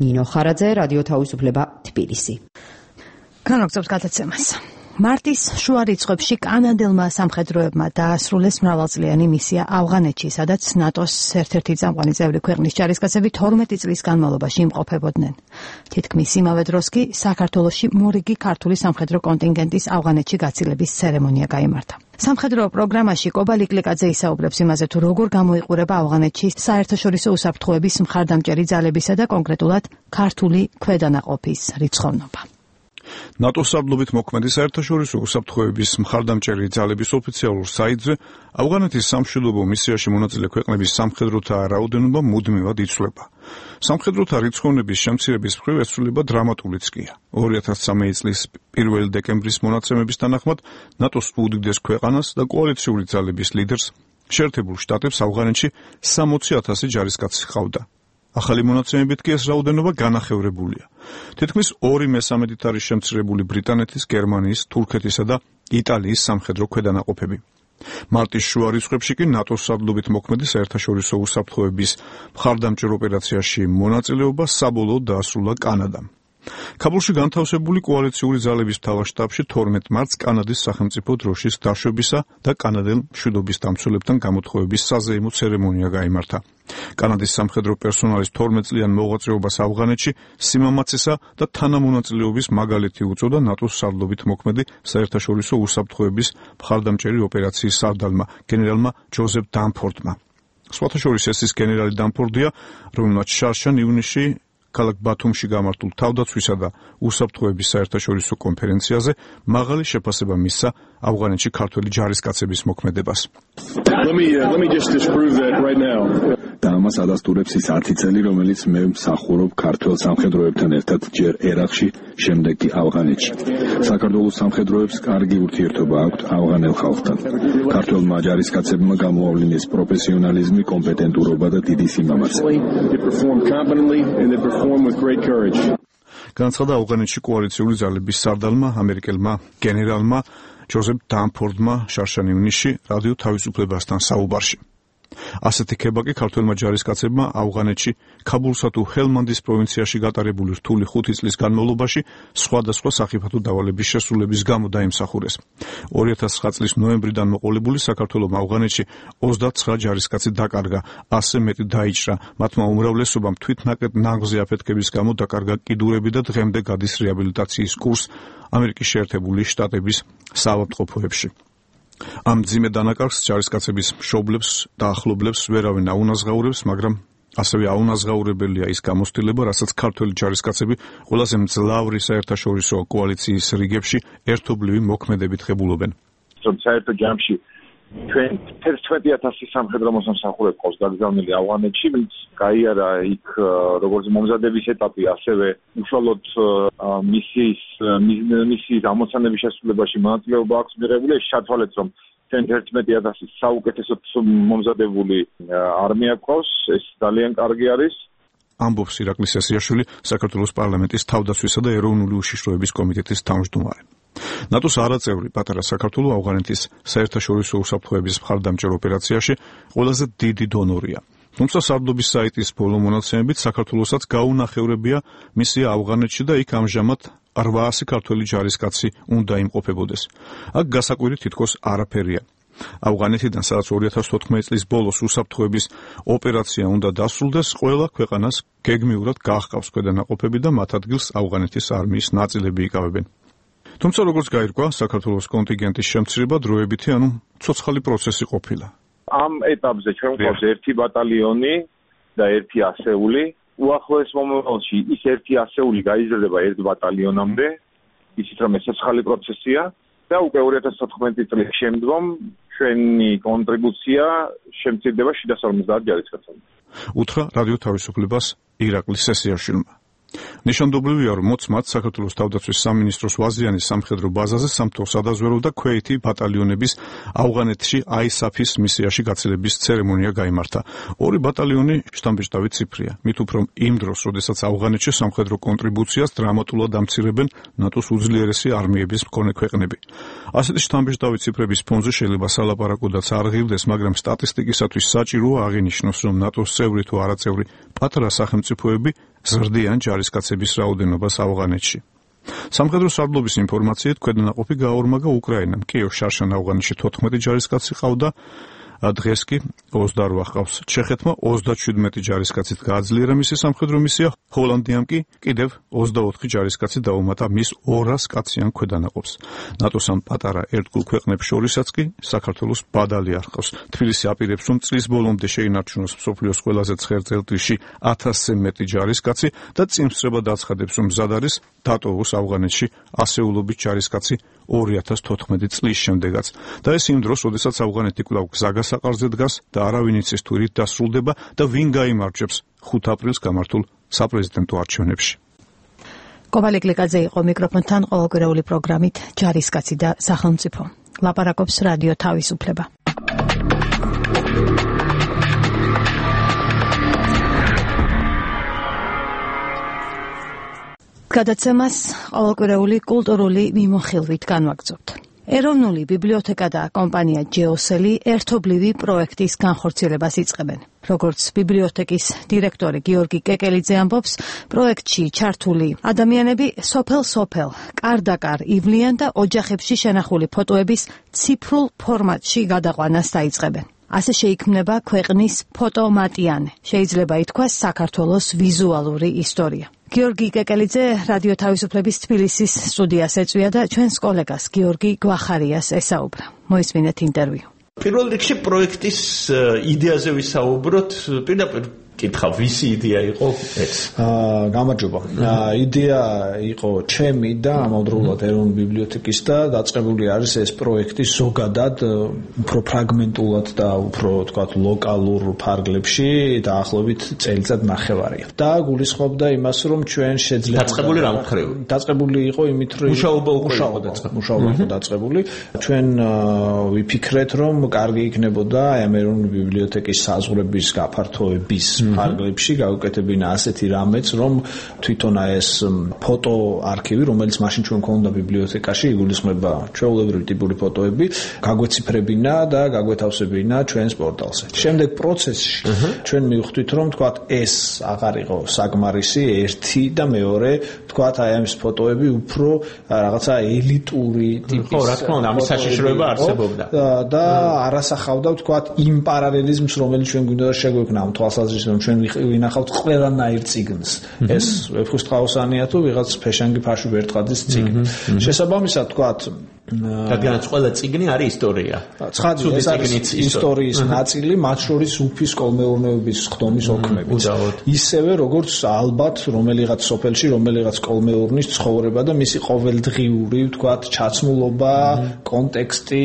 ნინო ხარაძე, რადიო თავისუფლება, თბილისი. განაგრძობს გადაცემას. მარტის შუა რიცხვებში კანადელმა სამხედროებმა დაასრულეს მრავალწლიანი მისია ავღანეთში, სადაც ნატოს ერთ-ერთი წამყვანი წევრი ქვეყნის ჯარისკაცები თორმეტი წლის განმავლობაში იმყოფებოდნენ. თითქმის იმავე დროს კი საქართველოში მორიგი ქართული სამხედრო კონტინგენტის ავღანეთში გაცილების ცერემონია გაიმართა. სამხედრო პროგრამაში კობა ლიკლიკაძე ისაუბრებს იმაზე, თუ როგორ გამოიყურება ავღანეთში საერთაშორისო უსაფრთხოების მხარდამჭერი ძალებისა და კონკრეტულად ქართული ქვედანაყოფის რიცხოვნობა. ნატოს სარდლობით მოქმედი საერთაშორისო უსაფრთხოების მხარდამჭერი ძალების ოფიციალურ საიტზე ავღანეთის სამშვიდობო მისიაში მონაწილე ქვეყნების სამხედროთა რაოდენობა მუდმივად იცვლება. სამხედროთა რიცხოვნების შემცირების მხრივ ესრულება დრამატულიც კია. ორი ათას სამი წლის პირველი დეკემბრის მონაცემების თანახმად ნატოს უდიდეს ქვეყანას და კოალიციური ძალების ლიდერს შეერთებულ შტატებს ავღანეთში სამოცი ათასი ჯარისკაცი ჰყავდა. ახალი მონაცემებით კი ეს რაოდენობა განახევრებულია. თითქმის ორი მესამედით არის შემცირებული ბრიტანეთის, გერმანიის, თურქეთისა და იტალიის სამხედრო ქვედანაყოფები. მარტის შუა რიცხვებში კი ნატოს სარდლობით მოქმედი საერთაშორისო უსაფრთხოების მხარდამჭერ ოპერაციაში მონაწილეობა საბოლოოდ დაასრულა კანადამ. ქაბულში განთავსებული კოალიციური ძალების მთავარ შტაბში თორმეტ მარტს კანადის სახელმწიფო დროშის დაშვებისა და კანადელ მშვიდობის დამცველებთან გამოთხოვების საზეიმო ცერემონია გაიმართა. კანადის სამხედრო პერსონალის თორმეტ წლიან მოღვაწეობას ავღანეთში სიმამაცესა და თანამონაწილეობის მაგალითი უწოდა ნატოს სარდლობით მოქმედი საერთაშორისო უსაფრთხოების მხარდამჭერი ოპერაციის სარდალმა გენერალმა ჯოზეფ დამფორდმა. სხვათა შორის ეს ის გენერალი დამფორდია, რომელმაც შარშან ივნისში ქალაქ ბათუმში გამართულ თავდაცვისა და უსაფრთხოების საერთაშორისო კონფერენციაზე მაღალი შეფასება მისცა ავღანეთში ქართველი ჯარისკაცების მოქმედებას. და ამას ადასტურებს ის ათი წელი, რომელიც მე მსახურობ ქართველ სამხედროებთან ერთად ჯერ ერაყში, შემდეგ კი ავღანეთში. საქართველოს სამხედროებს კარგი ურთიერთობა აქვთ ავღანელ ხალხთან. ქართველმა ჯარისკაცებმა გამოავლინეს პროფესიონალიზმი, კომპეტენტურობა და დიდი სიმამაცე. განაცხადა ავღანეთში კოალიციური ძალების სარდალმა, ამერიკელმა გენერალმა ჯოზეფ დამფორდმა შარშან ივნისში რადიო თავისუფლებასთან საუბარში. ასეთი ქება კი ქართველმა ჯარისკაცებმა ავღანეთში ქაბულსა თუ ჰელმანდის პროვინციაში გატარებული რთული ხუთი წლის განმავლობაში სხვადასხვა სახიფათო დავალების შესრულების გამო დაიმსახურეს. ორი ათას ცხრა წლის ნოემბრიდან მოყოლებული საქართველოს ავღანეთში ოცდაცხრა ჯარისკაცი დაკარგა, ასზე მეტი დაიჭრა, მათმა უმრავლესობამ თვითნაკეთ ნაღზე აფეთქების გამო დაკარგა კიდურები და დღემდე გადის რეაბილიტაციის კურსს ამერიკის შეერთებული შტატების საავადმყოფოებში. ამ მძიმე დანაკარგს ჯარისკაცების მშობლებს და ახლობლებს ვერავინ აუნაზღაურებს, მაგრამ ასევე აუნაზღაურებელია ის გამოცდილება, რასაც ქართველი ჯარისკაცები ყველაზე მძლავრი საერთაშორისო კოალიციის რიგებში ერთობლივი მოქმედებით ღებულობენ. საერთო ჯამში ჩვენ თერთმეტი ათასი სამხედრო მოსამსახურე ყავს გაგზავნილი ავღანეთში, ვინც გაიარა იქ როგორც მომზადების ეტაპი, ასევე უშუალოდ მისიის მისიის ამოცანების შესრულებაში მონაწილეობა აქვს მიღებული. შევთვალეთ, რომ ჩვენ თერთმეტი ათასი საუკეთესოდ მომზადებული არმია ყავს, ეს ძალიან კარგი არის. ამბობს ირაკლი სესიაშვილი, საქართველოს პარლამენტის თავდაცვისა და ეროვნული უშიშროების კომიტეტის თავმჯდომარე. ნატოს არაწევრი პატარა საქართველო ავღანეთის საერთაშორისო უსაფრთხოების მხარდამჭერ ოპერაციაში ყველაზე დიდი დონორია. თუმცა სარდლობის საიტის ბოლო მონაცემებით საქართველოსაც გაუნახევრებია მისია ავღანეთში და იქ ამჟამად რვაასი ქართველი ჯარისკაცი უნდა იმყოფებოდეს. აქ გასაკვირი თითქოს არაფერია. ავღანეთიდან, სადაც ორი ათას თოთხმეტი წლის ბოლოს უსაფრთხოების ოპერაცია უნდა დასრულდეს, ყველა ქვეყანას გეგმიურად გაჰყავს ქვედანაყოფები და მათ ადგილს ავღანეთის არმიის ნაწილები იკავებენ. თუმცა როგორც გაირკვა, საქართველოს კონტინგენტის შემცირება დროებითი, ანუ ცოცხალი პროცესი ყოფილა. ამ ეტაპზე ჩვენ გვყავს ერთი ბატალიონი და ერთი ასეული. უახლოეს მომავალში ის ერთი ასეული გაიზრდება ერთ ბატალიონამდე, ისიც რომ ეს ცოცხალი პროცესია და უკვე ორი ათას თოთხმეტი წლის შემდგომ ჩვენი კონტრიბუცია შემცირდება შიდა სამოცდაათ ჯარისკაცამდე. უთხრა რადიო თავისუფლებას ირაკლი სესიაშვილმა. ნიშანდობლივია, რომ მოწმად საქართველოს თავდაცვის სამინისტროს ვაზიანის სამხედრო ბაზაზე სამთო სადაზვერო და ქვეითი ბატალიონების ავღანეთში აისაფის მისიაში გაცილების ცერემონია გაიმართა. ორი ბატალიონი შთამბეჭდავი ციფრია. მით უფრო იმ დროს, როდესაც ავღანეთში სამხედრო კონტრიბუციას დრამატულად ამცირებენ ნატოს უძლიერესი არმიების მქონე ქვეყნები. ასეთი შთამბეჭდავი ციფრების ფონზე შეიძლება სალაპარაკოდაც არ ღირდეს, მაგრამ სტატისტიკისათვის საჭიროა აღინიშნოს, რომ ნატოს წევრი თუ არაწევრი პატარა სახელმწიფოები ზრდიან ჯარისკაცების რაოდენობას ავღანეთში. სამხედრო სარდლობის ინფორმაციით ქვედანაყოფი გაორმაგა უკრაინამ. კიევ-შარშან ავღანეთში თოთხმეტი ჯარისკაცი ყავდა, დღეს კი ოცდაორი ყავს. ჩეხეთმა ოცდაშვიდმეტი ჯარისკაცით გააძლიერა მისი სამხედრო მისია, ჰოლანდიამ კი კიდევ ოცდაოთხი ჯარისკაცი დაუმატა მის ორას კაციან ქვედანაყოფს. ნატოს ამ პატარა ერთგულ ქვეყნებს შორისაც კი საქართველოს ბადალი არ ყავს. თბილისი აპირებს, რომ წლის ბოლომდე შეინარჩუნოს მსოფლიოს ყველაზე ცხელ წელთრისში ათასზე მეტი ჯარისკაცი და წინსწრებად აცხადებს, რომ მზად არის დატოვოს ავღანეთში ასეულობით ჯარისკაცი ორი ათას თოთხმეტი წლის შემდეგაც. და ეს იმ დროს, როდესაც ავღანეთი კვლავ გზაგასაყარზე დგას და არავინ იცის თუ რით დასრულდება და ვინ გაიმარჯვებს ხუთ აპრილს გამართულ საპრეზიდენტო არჩევნებში. კობალე გლიკაძე იყო მიკროფონთან ყოველკვირეული პროგრამით ჯარისკაცი და სახელმწიფო. ლაპარაკობს რადიო თავისუფლება. გადაცემას ყოველკვირეული კულტურული მიმოხილვით განვაგრძობთ. ეროვნული ბიბლიოთეკა და კომპანია ჯეოსელი ერთობლივი პროექტის განხორციელებას იწყებენ. როგორც ბიბლიოთეკის დირექტორი გიორგი კეკელიძე ამბობს, პროექტში ჩართული ადამიანები სოფელ-სოფელ, კარ-დაკარ ივლიან და ოჯახებში შენახული ფოტოების ციფრულ ფორმატში გადაყვანას დაიწყებენ. ასე შეიქმნება ქვეყნის ფოტომატიანე. შეიძლება ითქვას საქართველოს ვიზუალური ისტორია. გიორგი კეკელიძე რადიო თავისუფლების თბილისის სტუდიას ეწვია და ჩვენს კოლეგას გიორგი გვახარიას ესაუბრა. მოისმინეთ ინტერვიუ. პირველ რიგში პროექტის იდეაზე ვისაუბროთ, პირდაპირ კითხა, ვისი იდეა იყო ეს? აა, გამარჯობა. იდეა იყო ჩემი და ამავდროულად ეროვნული ბიბლიოთეკის და დაწყებული არის ეს პროექტი ზოგადად უფრო ფრაგმენტულად და უფრო, თქვათ, ლოკალურ ფარგლებში დაახლოებით წელიწად ნახევარია. და გულისხმობდა იმას, რომ ჩვენ შეძლებოდა დაწყებული რა მხრივ? დაწყებული იყო იმით, რომ მუშაობა უკვე იყო დაწყებული. მუშაობა იყო დაწყებული. ჩვენ ვიფიქრეთ, რომ კარგი იქნებოდა ამ ეროვნული ბიბლიოთეკის საზღვრების გაფართოების ფარგლებში გავუკეთებინა ასეთი რამეც, რომ თვითონ ეს ფოტო არქივი, რომელიც მაშინ ჩვენ ქონდა ბიბლიოთეკაში, იგულისხმება ჩვეულებრივი ტიპური ფოტოები, გაგვეციფრებინა და გაგვეთავსებინა ჩვენს პორტალზე. შემდეგ პროცესში ჩვენ მივხვდით, რომ თქვათ ეს აღარ იყო საკმარისი, ერთი და მეორე, თქვათ აი ამ ფოტოები უფრო რაღაცა ელიტური ტიპის. ხო, რა თქმა უნდა, ამის საშიშროება არსებობდა. და არასახავდა თქვათ იმ პარალელიზმს, რომელიც ჩვენ გვინდა შეგვექმნა ამ თვალსაზრისით, რომ ჩვენ ვინახავთ ყველანაირ წიგნს. ეს ვეფხისტყაოსანია თუ ვიღაც ფეშანგი ფარშუვ ერთხადის წიგნი. შესაბამისად თქვათ რადგანაც ყველა წიგნი არის ისტორია. ცხადი ეს არის ისტორიის ნაწილი, მათ შორის უფის კოლმეურნეობის ხდომის ოქმებით. ისევე როგორც ალბათ რომელიღაც სოფელში, რომელიღაც კოლმეურნის ცხოვრება და მისი ყოველდღიური, თქვათ, ჩაცმულობა, კონტექსტი,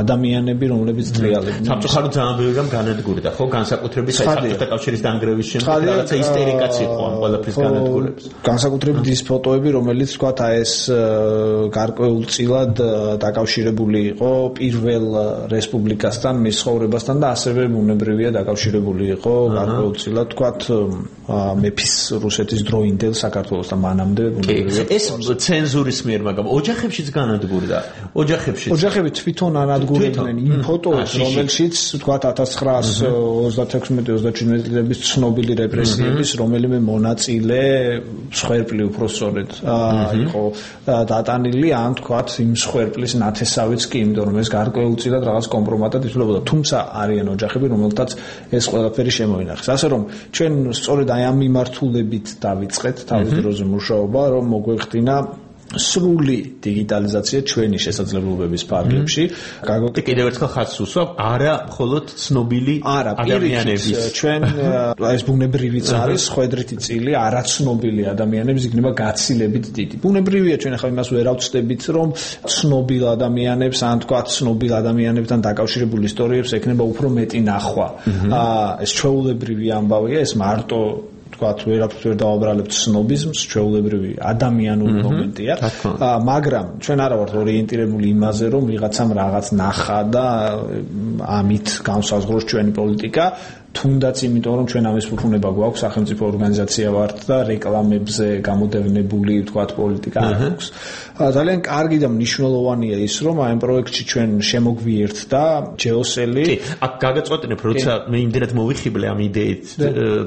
ადამიანები, რომლებიც ტრიალებდნენ. სამწუხაროდ ძალიან ბევრი რამ განადგურდა, ხო, განსაკუთრებით საბჭოთა კავშირის დანგრევის შემდეგ რაღაცა ისტერიკაც იყო ამ ყველაფრის განადგურების. განსაკუთრებით ის ფოტოები, რომელიც, თქვათ, აი ეს გარკვეულწილად დაკავშირებული იყო პირველ რესპუბლიკასთან, მის ცხოვრებასთან და ასევე ბუნებრივია დაკავშირებული იყო გარკვეულწილად, თქვათ, მეფის რუსეთის დროინდელ საქართველოსთან მანამდე ბუნებრივია. ეს ცენზურის მიერ, მაგრამ ოჯახებშიც განადგურდა. ოჯახებში ოჯახები თვითონ ანადგურებდნენ იმ ფოტოებს, რომელშიც, თქვათ, ათას ცხრაასი ოცდათექვსმეტი ოცდაჩვიდმეტი წლების ცნობილი რეპრესიების რომელიმე მონაწილე მსხვერპლი უпроსწორედ იყო დატანილი, ან თქვათ იმ მსხვერპლის ნათესავიც კი, იმიტომ რომ ეს გარკვეულწილად რაღაც კომპრომატად ითვლებოდა. თუმცა არიან ოჯახები, რომელთაც ეს ყველაფერი შემოინახეს. ასე რომ ჩვენ სწორედ აი ამ მიმართულებით დავიწყეთ თავის დროზე მუშაობა, რომ მოგვეხდინა სრული დიგიტალიზაცია ჩვენი შესაძლებლობების ფარგლებში. გაგოკი კიდევ ერთხელ ხაზს უსვამ, არა მხოლოდ ცნობილი ადამიანების. ჩვენ ეს ბუნებრივიც არის, ხვედრითი წილი, არაცნობილი ადამიანების იქნება გაცილებით დიდი. ბუნებრივია, ჩვენ ახლა იმას ვერ ავწდებით, რომ ცნობილ ადამიანებს, ან თქვა ცნობილ ადამიანებთან დაკავშირებული ისტორიებს ექნება უფრო მეტი ნახვა. ეს ჩვეულებრივი ამბავია, ეს მარტო თქვათ ვერაფერს ვერ დავაბრალებთ სნობიზმს, ჩვეულებრივი ადამიანური მომენტია, მაგრამ ჩვენ არა ვართ ორიენტირებული იმაზე, რომ ვიღაცამ რაღაც ნახა და ამით განსაზღვროს ჩვენი პოლიტიკა. თუნდაც იმიტომ რომ ჩვენ ამის ფუფუნება გვაქვს, სახელმწიფო ორგანიზაცია ვართ და რეკლამებზე გამოდევნებული ვთქვათ პოლიტიკა აქვს. ძალიან კარგი და მნიშვნელოვანია ის რომ აი ამ პროექტში ჩვენ შემოგვიერთდა ჯეოსელი. კი, აქ გაგაწყვეტინებ, როცა მე იმდენად მოვიხიბლე ამ იდეით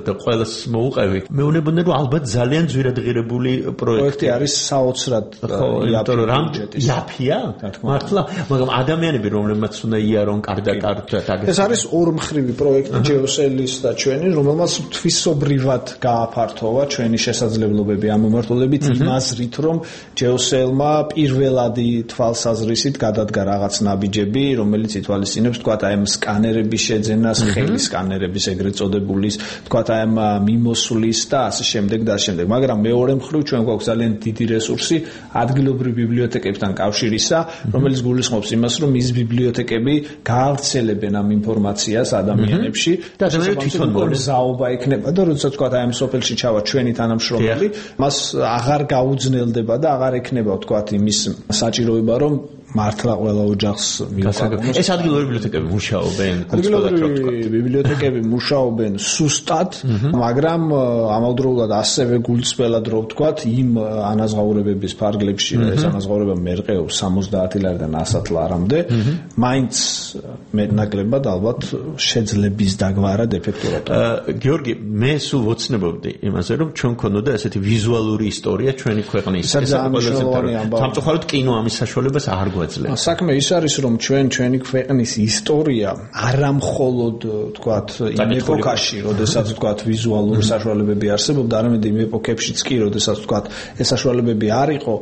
და ყველას მოუყევი. მეუბნები რომ ალბათ ძალიან ძვირადღირებული პროექტი არის საოცრად იაფია. მართლა, მაგრამ ადამიანები რომლებმაც უნდა იარონ კარდა კარდა ეს არის ორმხრივი პროექტი ჯეოსელის და ჩვენი, რომელმაც თვისობრივად გააფართოვა ჩვენი შესაძლებლობები ამ მიმართულებით იმ აზრით, რომ ჯეოსელმა პირველადი თვალსაზრისით გადადგა რაღაც ნაბიჯები, რომელიც ითვალისწინებს თქვათ აი ამ სკანერების შეძენას, ხელის სკანერების ეგრეთ წოდებულის, თქვათ აი ამ მიმოსვლის და ასე შემდეგ და ასე შემდეგ. მაგრამ მეორე მხრივ ჩვენ გვაქვს ძალიან დიდი რესურსი ადგილობრივ ბიბლიოთეკებთან კავშირისა, რომელიც გულისხმობს იმას, რომ ის ბიბლიოთეკები გაავრცელებენ ამ ინფორმაციას ადამიანებში და თვითონ მოგზაობა იქნება და როდესაც თქვა აი ამ სოფელში ჩავა ჩვენი თანამშრომელი, მას აღარ გაუძნელდება და აღარ ექნება თქვა იმის საჭიროება, რომ მართლა ყველა ოჯახს მიუყვარდეს. ეს ადგილობრივი ბიბლიოთეკები მუშაობენ, ადგილობრივი ბიბლიოთეკები მუშაობენ სუსტად, მაგრამ ამავდროულად ასევე გულწრფელად რო ვთქვათ, იმ ანაზღაურებების ფარგლებში, ეს ანაზღაურება მერყეობს სამოცდაათი ლარიდან ასად ლარამდე, მაინც მეტნაკლებად ალბათ შეძლების დაგვარად ეფექტურად. გიორგი, მე სულ ვოცნებობდი იმაზე, რომ ჩვენ გქონოდა ესეთი ვიზუალური ისტორია ჩვენი ქვეყნის. ეს სამწუხაროდ კინო ამის საშუალებას არ გვაძლევს. საქმე ის არის, რომ ჩვენ ჩვენი ქვეყნის ისტორია არამხოლოდ თქვათ იმ ეპოქაში, როდესაც თქვათ ვიზუალური საშუალებები არსებობდა, არამედ იმ ეპოქებშიც კი, როდესაც თქვათ ეს საშუალებები არ იყო,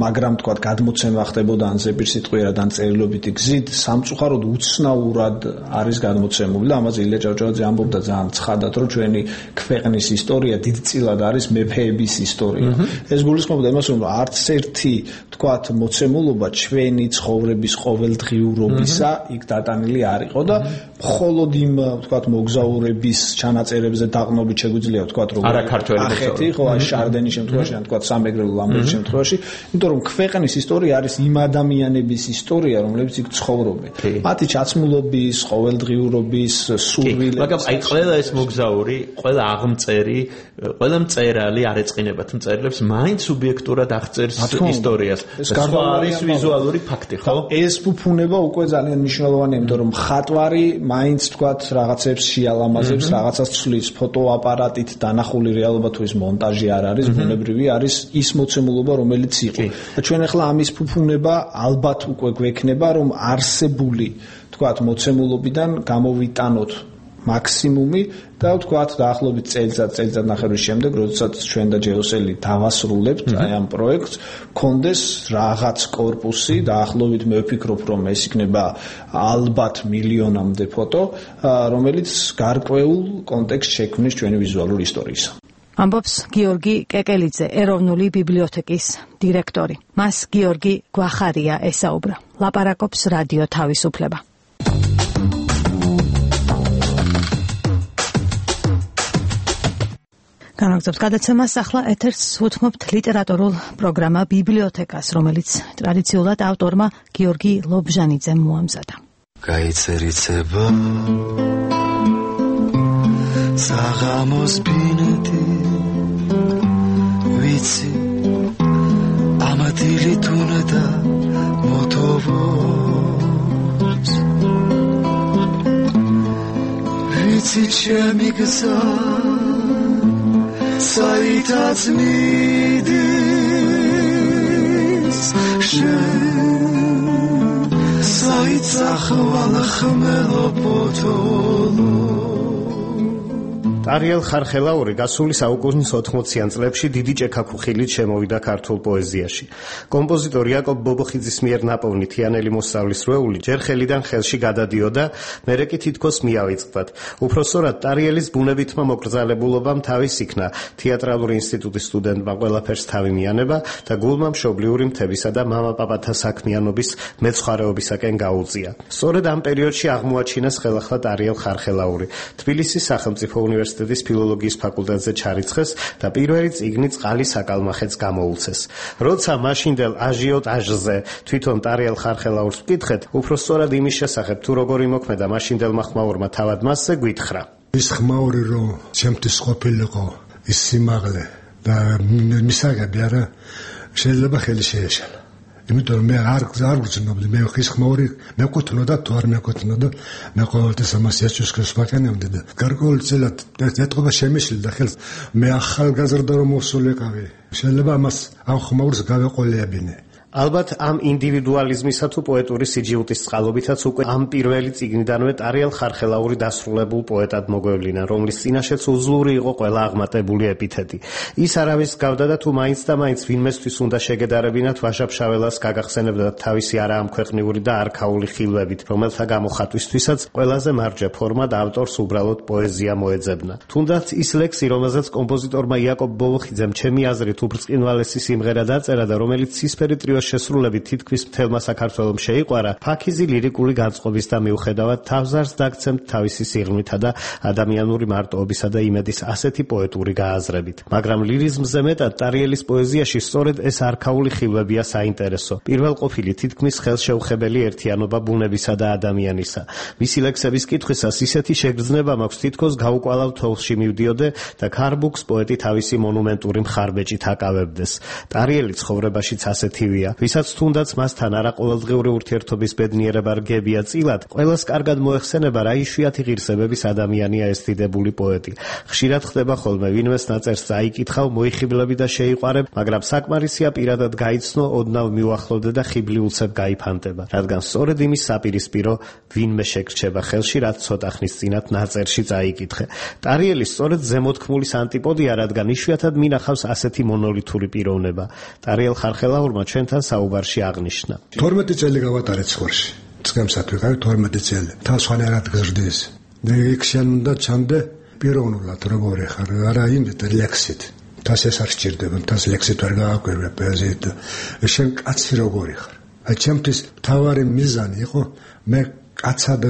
მაგრამ თქვათ გადმოცემა ხდებოდა ან ზეპირსიტყვიერად ან წერილობითი გზით, სამწუხაროდ უცნაურად არის გადმოცემული და ამაზე ილია ჭავჭავაძე ამბობდა ძალიან ცხადად, რომ ჩვენი ქვეყნის ისტორია დიდწილად არის მეფეების ისტორია. ეს გულისხმობდა იმას, რომ არც ერთი თქვათ მოცემულობა ჩვენი ცხოვრების ყოველდღიურობისა იქ დატანილი არ იყო და მხოლოდ იმ თქვათ მოგზაურების ჩანაწერებზე დაყნობით შეგვიძლია თქვათ რომ ახეთი ხო აი შარდენის შემთხვევაში ან თქვათ სამეგრელო ლამბერტის შემთხვევაში, იმიტომ რომ ქვეყნის ისტორია არის იმ ადამიანების ისტორია, რომლებიც იქ ცხოვრობენ. მათი ჩაცმულობის, ყოველდღიურობის, სურვილების. მაგრამ აი ყველა ეს მოგზაური, ყველა აღმწერი, ყველა მწერალი არ ეწყინებათ მწერლებს, მაინც სუბიექტურად აღწერს ისტორიას. ეს არის ვიზუალური ფაქტი, ხო? ეს ფუფუნება უკვე ძალიან მნიშვნელოვანია, იმიტომ რომ მხატვარი მაინც თქვათ რაღაცებს შეალამაზებს, რაღაცას ცვლის ფოტოაპარატით დანახული რეალობა თუ ის მონტაჟი არ არის, ბუნებრივი არის ის მოცემულობა, რომელიც იყო. და ჩვენ ახლა ამის ფუფუნება ალბათ უკვე გვექნება, რომ არსებული თქვათ მოცემულობიდან გამოვიტანოთ მაქსიმუმი და ვთქვათ დაახლოებით წელიწად წელიწად ნახევრის შემდეგ, როდესაც ჩვენ და ჯეოსელი დავასრულებთ აი ამ პროექტს, კონდეს რაღაც კორპუსი, დაახლოებით მე ვფიქრობ, რომ ეს იქნება ალბათ მილიონამდე ფოტო, რომელიც გარკვეულ კონტექსტს შექმნის ჩვენი ვიზუალური ისტორიისა. ამბობს გიორგი კეკელიძე, ეროვნული ბიბლიოთეკის დირექტორი. მას გიორგი გვახარია ესაუბრა. ლაპარაკობს რადიო თავისუფლება. განაგზობს გადაცემას, ახლა ეთერს უთმობთ ლიტერატურულ პროგრამა ბიბლიოთეკას, რომელიც ტრადიციულად ავტორმა გიორგი ლობჟანიძემ მოამზადა. გაიცერიცება საღამოს ბინეთი ვიცი ამათილი თუნდა მოტოვოს ვიცი ჩემი გზა საითაც მიდის შენ საით ახვალ ხმელო პოტოლო ტარიელ ხარხელაური გასული საუკუნის ოთხმოციან წლებში დიდი ჭექაქუხილით შემოვიდა ქართულ პოეზიაში. კომპოზიტორ იაკობ ბობოხიძის მიერ ნაპოვნი თიანელი მოსავლის რვეული ჯერ ხელიდან ხელში გადადიოდა, მერე კი თითქოს მიავიწყდათ. უпроსორად ტარიელის ბუნებითმა მოკრძალებულობამ თავის იქნა, თეატრალური ინსტიტუტის სტუდენტმა ყველაფერს თავი მიანება და გულმა მშობლიური მთებისა და მამა-პაპათა საქმიანობის მეცხვარეობისაკენ გაუწია. სწორედ ამ პერიოდში აღმოაჩინეს ხელახლა ტარიელ ხარხელაური. თბილისის სახელმწიფო უნივერსიტეტის ფილოლოგიის ფაკულტეტზე ჩარიცხეს და პირველი წიგნი წყალი საკალმახეთს გამოუცეს. როცა მაშინდელ აჟიოტაჟზე თვითონ ტარიელ ხარხელაურს ვკითხეთ, უფრო სწორად იმის შესახებ თუ როგორ იმოქმედა მაშინდელმა ხმაურმა თავად მასზე გვითხრა. ის ხმაური რომ ჩემთვის ყოფილიყო ის სიმაღლე და მისაღები არა შეიძლება ხელი შეეშალა. იმიტომ რომ მე არ არ გძნობდი მე ხის ხმაური მეკუთვნოდა თუ არ მეკუთვნოდა მე ყოველთვის ამას ეჭვს ვაკენებდი და გარკვეულწილად ეტყობა შემიშლდა ხელს მე ახალგაზრდა რომ მოსულიყავი შეიძლება ამას ამ ხმაურს გავეყოლებინე. ალბათ ამ ინდივიდუალიზმისა თუ პოეტური სიჯილტის წყალობითაც უკვე ამ პირველი წიგნიდანვე ტარიელ ხარხელაური დასრულებულ პოეტად მოგვევლინა, რომლის წინაშეც უძლური იყო ყველა აღმატებული ეპითეტი. ის არავის გავდა და თუ მაინც და მაინც ვინმესთვის უნდა შეგედარებინათ ვაჟა-ფშაველას გაგახსენებდა თავისი არაამქვეყნიური და არქაული ხილვებით, რომელთა გამოხატვისთვისაც ყველაზე მარჯვე ფორმად ავტორს უბრალოდ პოეზია მოეძებნა. თუნდაც ის ლექსი, რომელზეც კომპოზიტორმა იაკობ ბოლოხიძემ ჩემი აზრით უბრწყინვალესი სიმღერა დაწერა და რომელიც ცისფერი ტრიოს შესრულებით თითქმის მთელმა საქართველომ შეიყვარა, ფაქიზი ლირიკული განწყობის და მიუხედავად თავზარს დაგცემთ თავისი სიღრმითა და ადამიანური მარტოობისა და იმედის ასეთი პოეტური გააზრებით. მაგრამ ლირიზმზე მეტად ტარიელის პოეზიაში სწორედ ეს არქაული ხილვებია საინტერესო. პირველყოფილი თითქმის ხელშეუხებელი ერთიანობა ბუნებისა და ადამიანისა. მისი ლექსების კითხვისას ისეთი შეგრძნება მაქვს თითქოს გაუკვალავ თოვლში მივდიოდე და ქარბუქს პოეტი თავისი მონუმენტური მხარბეჭით აკავებდეს. ტარიელი ცხოვრებაშიც ასეთივია. ვისაც თუნდაც მასთან არაყოველდღიური ურთიერთობის ბედნიერება რგებია წილად, ყველას კარგად მოეხსენება რა იშვიათი ღირსებების ადამიანია ეს დიდებული პოეტი. ხშირად ხდება ხოლმე ვინმეს ნაწერს წაიკითხავ, მოიხიბლები და შეიყვარებ, მაგრამ საკმარისია პირადად გაიცნო, ოდნავ მიუახლოვდე და ხიბლი უცებ გაიფანტება. რადგან სწორედ იმის საპირისპირო ვინმე შეგრჩება ხელში, რაც ცოტა ხნის წინათ ნაწერში წაიკითხე. ტარიელი სწორედ ზემოთქმულის ანტიპოდია, რადგან იშვიათად მინახავს ასეთი მონოლითური პიროვნება. ტარიელ ხარხელაურმა ჩვენთან საუბარში აღნიშნა. თორმეტი წელი გავატარეთ ცხვარში. წგემსად ვიყავი თორმეტი წელი. თავს ხანერად გზრდის. იქ შენ უნდა ჩამდე პიროვნულად როგორი ხარ, არა იმით ლექსით. თავს ეს არ სჭირდება, თავს ლექსით ვერ გააკვირვე პოეზიით. შენ კაცი როგორი ხარ. აი ჩემთვის თავარი მიზანი იყო მე კაცად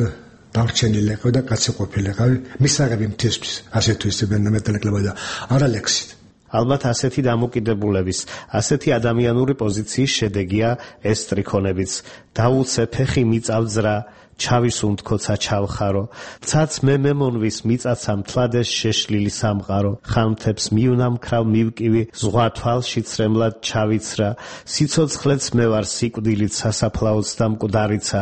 დარჩენილიყო და კაცი ყოფილიყავი მისაღები მთისთვის. ასე თუ ისე მეტალეკლება და არა ლექსით. ალბათ ასეთი დამოკიდებულების, ასეთი ადამიანური პოზიციის შედეგია ეს სტრიქონებიც. დაუცე ფეხი მიწავძრა, ჩავის უნდქოცა ჩავხარო, ცაც მე მემონვის მიწაცა მთლადეს შეშლილი სამყარო, ხანმთებს მივნამქრავ მივკივი, ზღვა თვალში ცრემლად ჩავიცრა, სიცოცხლეც მე ვარ სიკვდილით სასაფლაოც და მკვდარიცა,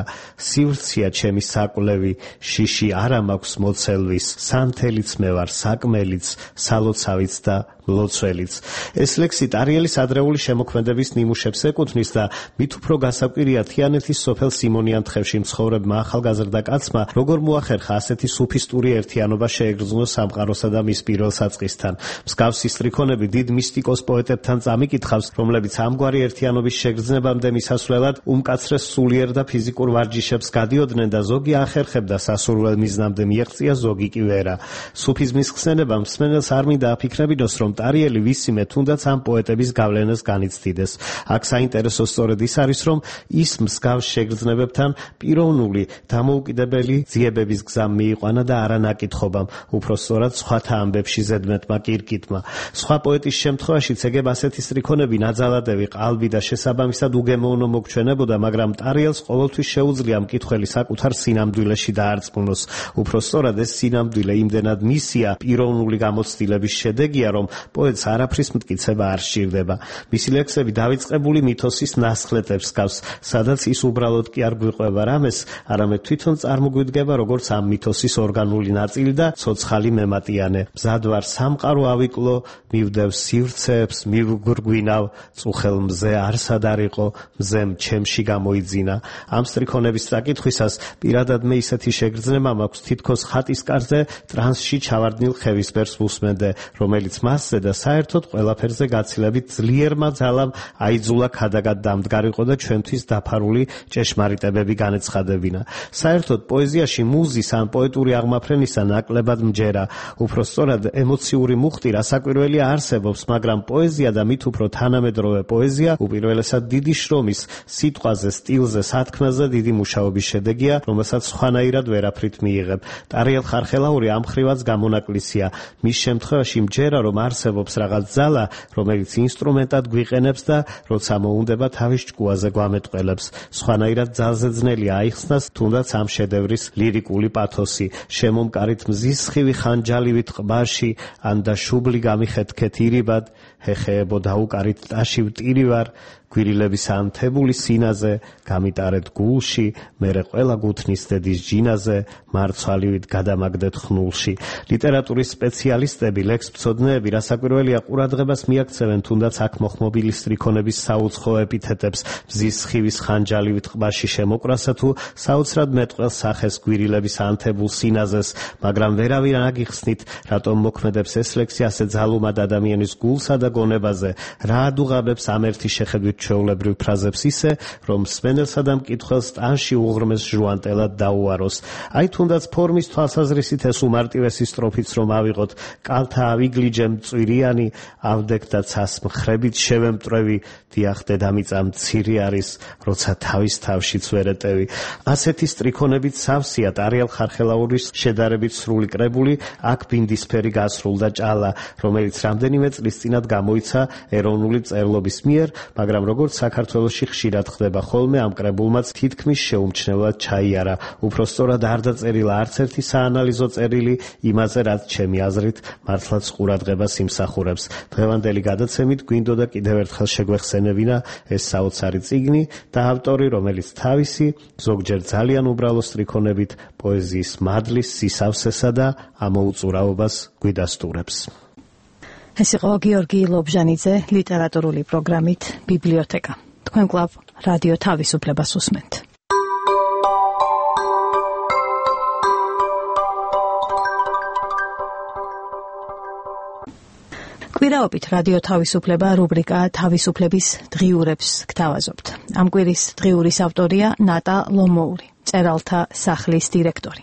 სივრცია ჩემი საკვლევი, შიში არა მაქვს მოცელვის, სანთელიც მე ვარ საკმელიც, სალოცავიც და ლოცველიც. ეს ლექსი ტარიელის ადრეული შემოქმედების ნიმუშებს ეკუთვნის და მით უფრო გასაკვირია თიანეთის სოფელ სიმონიანთხევში მცხოვრებმა ახალგაზრდა კაცმა როგორ მოახერხა ასეთი სუფისტური ერთიანობა შეეგრძნო სამყაროსა და მის პირველ საწყისთან. მსგავსი სტრიქონები დიდ მისტიკოს პოეტებთან წამიკითხავს, რომლებიც ამგვარი ერთიანობის შეგრძნებამდე მისასვლელად უმკაცრეს სულიერ და ფიზიკურ ვარჯიშებს გადიოდნენ და ზოგი ახერხებდა სასურველ მიზნამდე მიეღწია, ზოგი კი ვერა. სუფიზმის ხსენებამ მსმენელს არ მინდა აფიქრებინოს, რომ ტარიელი ვისიმე თუნდაც ამ პოეტების გავლენას განიცდიდეს. აქ საინტერესო სწორედ ის არის, რომ ის მსგავს შეგრძნებებთან პიროვნული, დამოუკიდებელი ძიებების გზამ მიიყვანა და არა ნაკითხობამ, უფრო სწორად სხვათა ამბებში ზედმეტმა კირკიტმა. სხვა პოეტის შემთხვევაშიც ეგებ ასეთი სტრიქონები ნაძალადევი, ყალბი და შესაბამისად უგემოვნო მოგჩვენებოდა, მაგრამ ტარიელს ყოველთვის შეუძლია მკითხველი საკუთარ სინამდვილეში დაარწმუნოს. უფრო სწორად ეს სინამდვილე იმდენად მისია, პიროვნული გამოცდილების შედეგია, რომ პოეტს არაფრის მტკიცება არ სჭირდება. მისი ლექსები დავიწყებული მითოსის ნასხლეტებს გავს, სადაც ის უბრალოდ კი არ გვიყვება რამეს, არამედ თვითონ წარმოგვიდგება როგორც ამ მითოსის ორგანული ნაწილი და ცოცხალი მემატიანე. მზად ვარ სამყარო ავიკლო, მივდევ სივრცეებს, მივგვირგვინავ, წუხელ მზე არსად არ იყო, მზემ ჩემში გამოიძინა. ამ სტრიქონების წაკითხვისას პირადად მე ისეთი შეგრძნება მაქვს, თითქოს ხატის კარზე ტრანსში ჩავარდნილ ხევისბერს ვუსმენდე, რომელიც მასზე და საერთოდ ყველაფერზე გაცილებით ძლიერმა ძალამ აიძულა ქადაგად დამდგარიყო და ჩვენთვის დაფარული ჭეშმარიტებები განეცხადებინა. საერთოდ პოეზიაში მუზის ან პოეტური აღმაფრენისა ნაკლებად მჯერა. უფრო სწორად ემოციური მუხტი რასაკვირველია არსებობს, მაგრამ პოეზია და მით უფრო თანამედროვე პოეზია უპირველესად დიდი შრომის, სიტყვაზე, სტილზე, სათქმელზე დიდი მუშაობის შედეგია, რომელსაც სხვანაირად ვერაფრით მიიღებ. ტარიელ ხარხელაური ამ ხრივაც გამონაკლისია. მის შემთხვევაში მჯერა, რომ არსებობს რაღაც ძალა, რომელიც ინსტრუმენტად გვიყენებს და როცა მოუნდება თავის ჭკუაზე გვამეტყველებს. სხვანაირად ძალზე ძნელია აიხსნას, თუნდაც ამ შედევრის ლირიკული პათოსი, შემომკარით მზის სხივი ხანჯალივით ყბაში, ან და შუბლი გამიხეთქეთ ირიბად, ჰეხეებო დაუკარით ტაში ვტირივარ, გვირილების ანთებული სინაზე, გამიტარეთ გულში, მერე ყველა გუთნის დედის ჯინაზე, მარცვალივით გადამაგდეთ ხნულში. ლიტერატურის სპეციალისტები, ლექსმცოდნეები რასაკვირველია ყურადღებას მიაქცევენ თუნდაც აქ მოხმობილი სტრიქონების საუცხო ეპითეტებს, მზის სხივის ხანჯალივით ყბაში შემოკრასა თუ საოცრად მეტყველს სახეს გვირილების ანთებულ სინაზეს, მაგრამ ვერავინ აგიხსნით, რატომ მოქმედებს ეს ლექსი ასე ძალუმად ადამიანის გულსა და გონებაზე, რა ადუღაბებს ამ ერთი შეხედვით ჩვეულებრივ ფრაზებს ისე, რომ მსმენელსა და მკითხველს ტანში უღრმეს ჟუანტელად დაუაროს. აი თუნდაც ფორმის თვალსაზრისით ეს უმარტივესი სტროფიც რომ ავიღოთ, კალთა ავიგლიჯე მწვირიანი, ავდექ და ცას მხრებით შევემტრევი, დიახ დედამიწა მცირე არის, როცა თავის თავშიც ვერ ეტევი. ასეთი სტრიქონებით სავსეა ტარიელ ხარხელაურის შედარებით სრული კრებული აქ ბინდისფერი გასრულდა ჭალა, რომელიც რამდენიმე წლის წინათ გამოიცა ეროვნული წერლობის მიერ, მაგრამ როგორც საქართველოში ხშირად ხდება ხოლმე, ამ კრებულმაც თითქმის შეუმჩნევლად ჩაიარა. უпроსტორად არ დაწერილა არც ერთი საანალიზო წერილი იმაზე, რაც ჩემი აზრით მართლაც ყურადღებას იმსახურებს. დღევანდელი გადაცემით გვინდოდა კიდევ ერთხელ შეგვეხსენებინა ეს საოცარი წიგნი და ავტორი, რომელიც თავისი ზოგჯერ ძალიან უბრალო სტრიქონებით პოეზიის მადლის სისავსესა და ამოუწურავობას გვიდასტურებს. ეს იყო გიორგი ლობჟანიძე ლიტერატურული პროგრამით ბიბლიოთეკა. თქვენ კლავ რადიო თავისუფლებას უსმენთ. კვირაობით რადიო თავისუფლება რუბრიკა თავისუფლების დღიურებს გთავაზობთ. ამ კვირის დღიურის ავტორია ნატა ლომოური, წერალთა სახლის დირექტორი.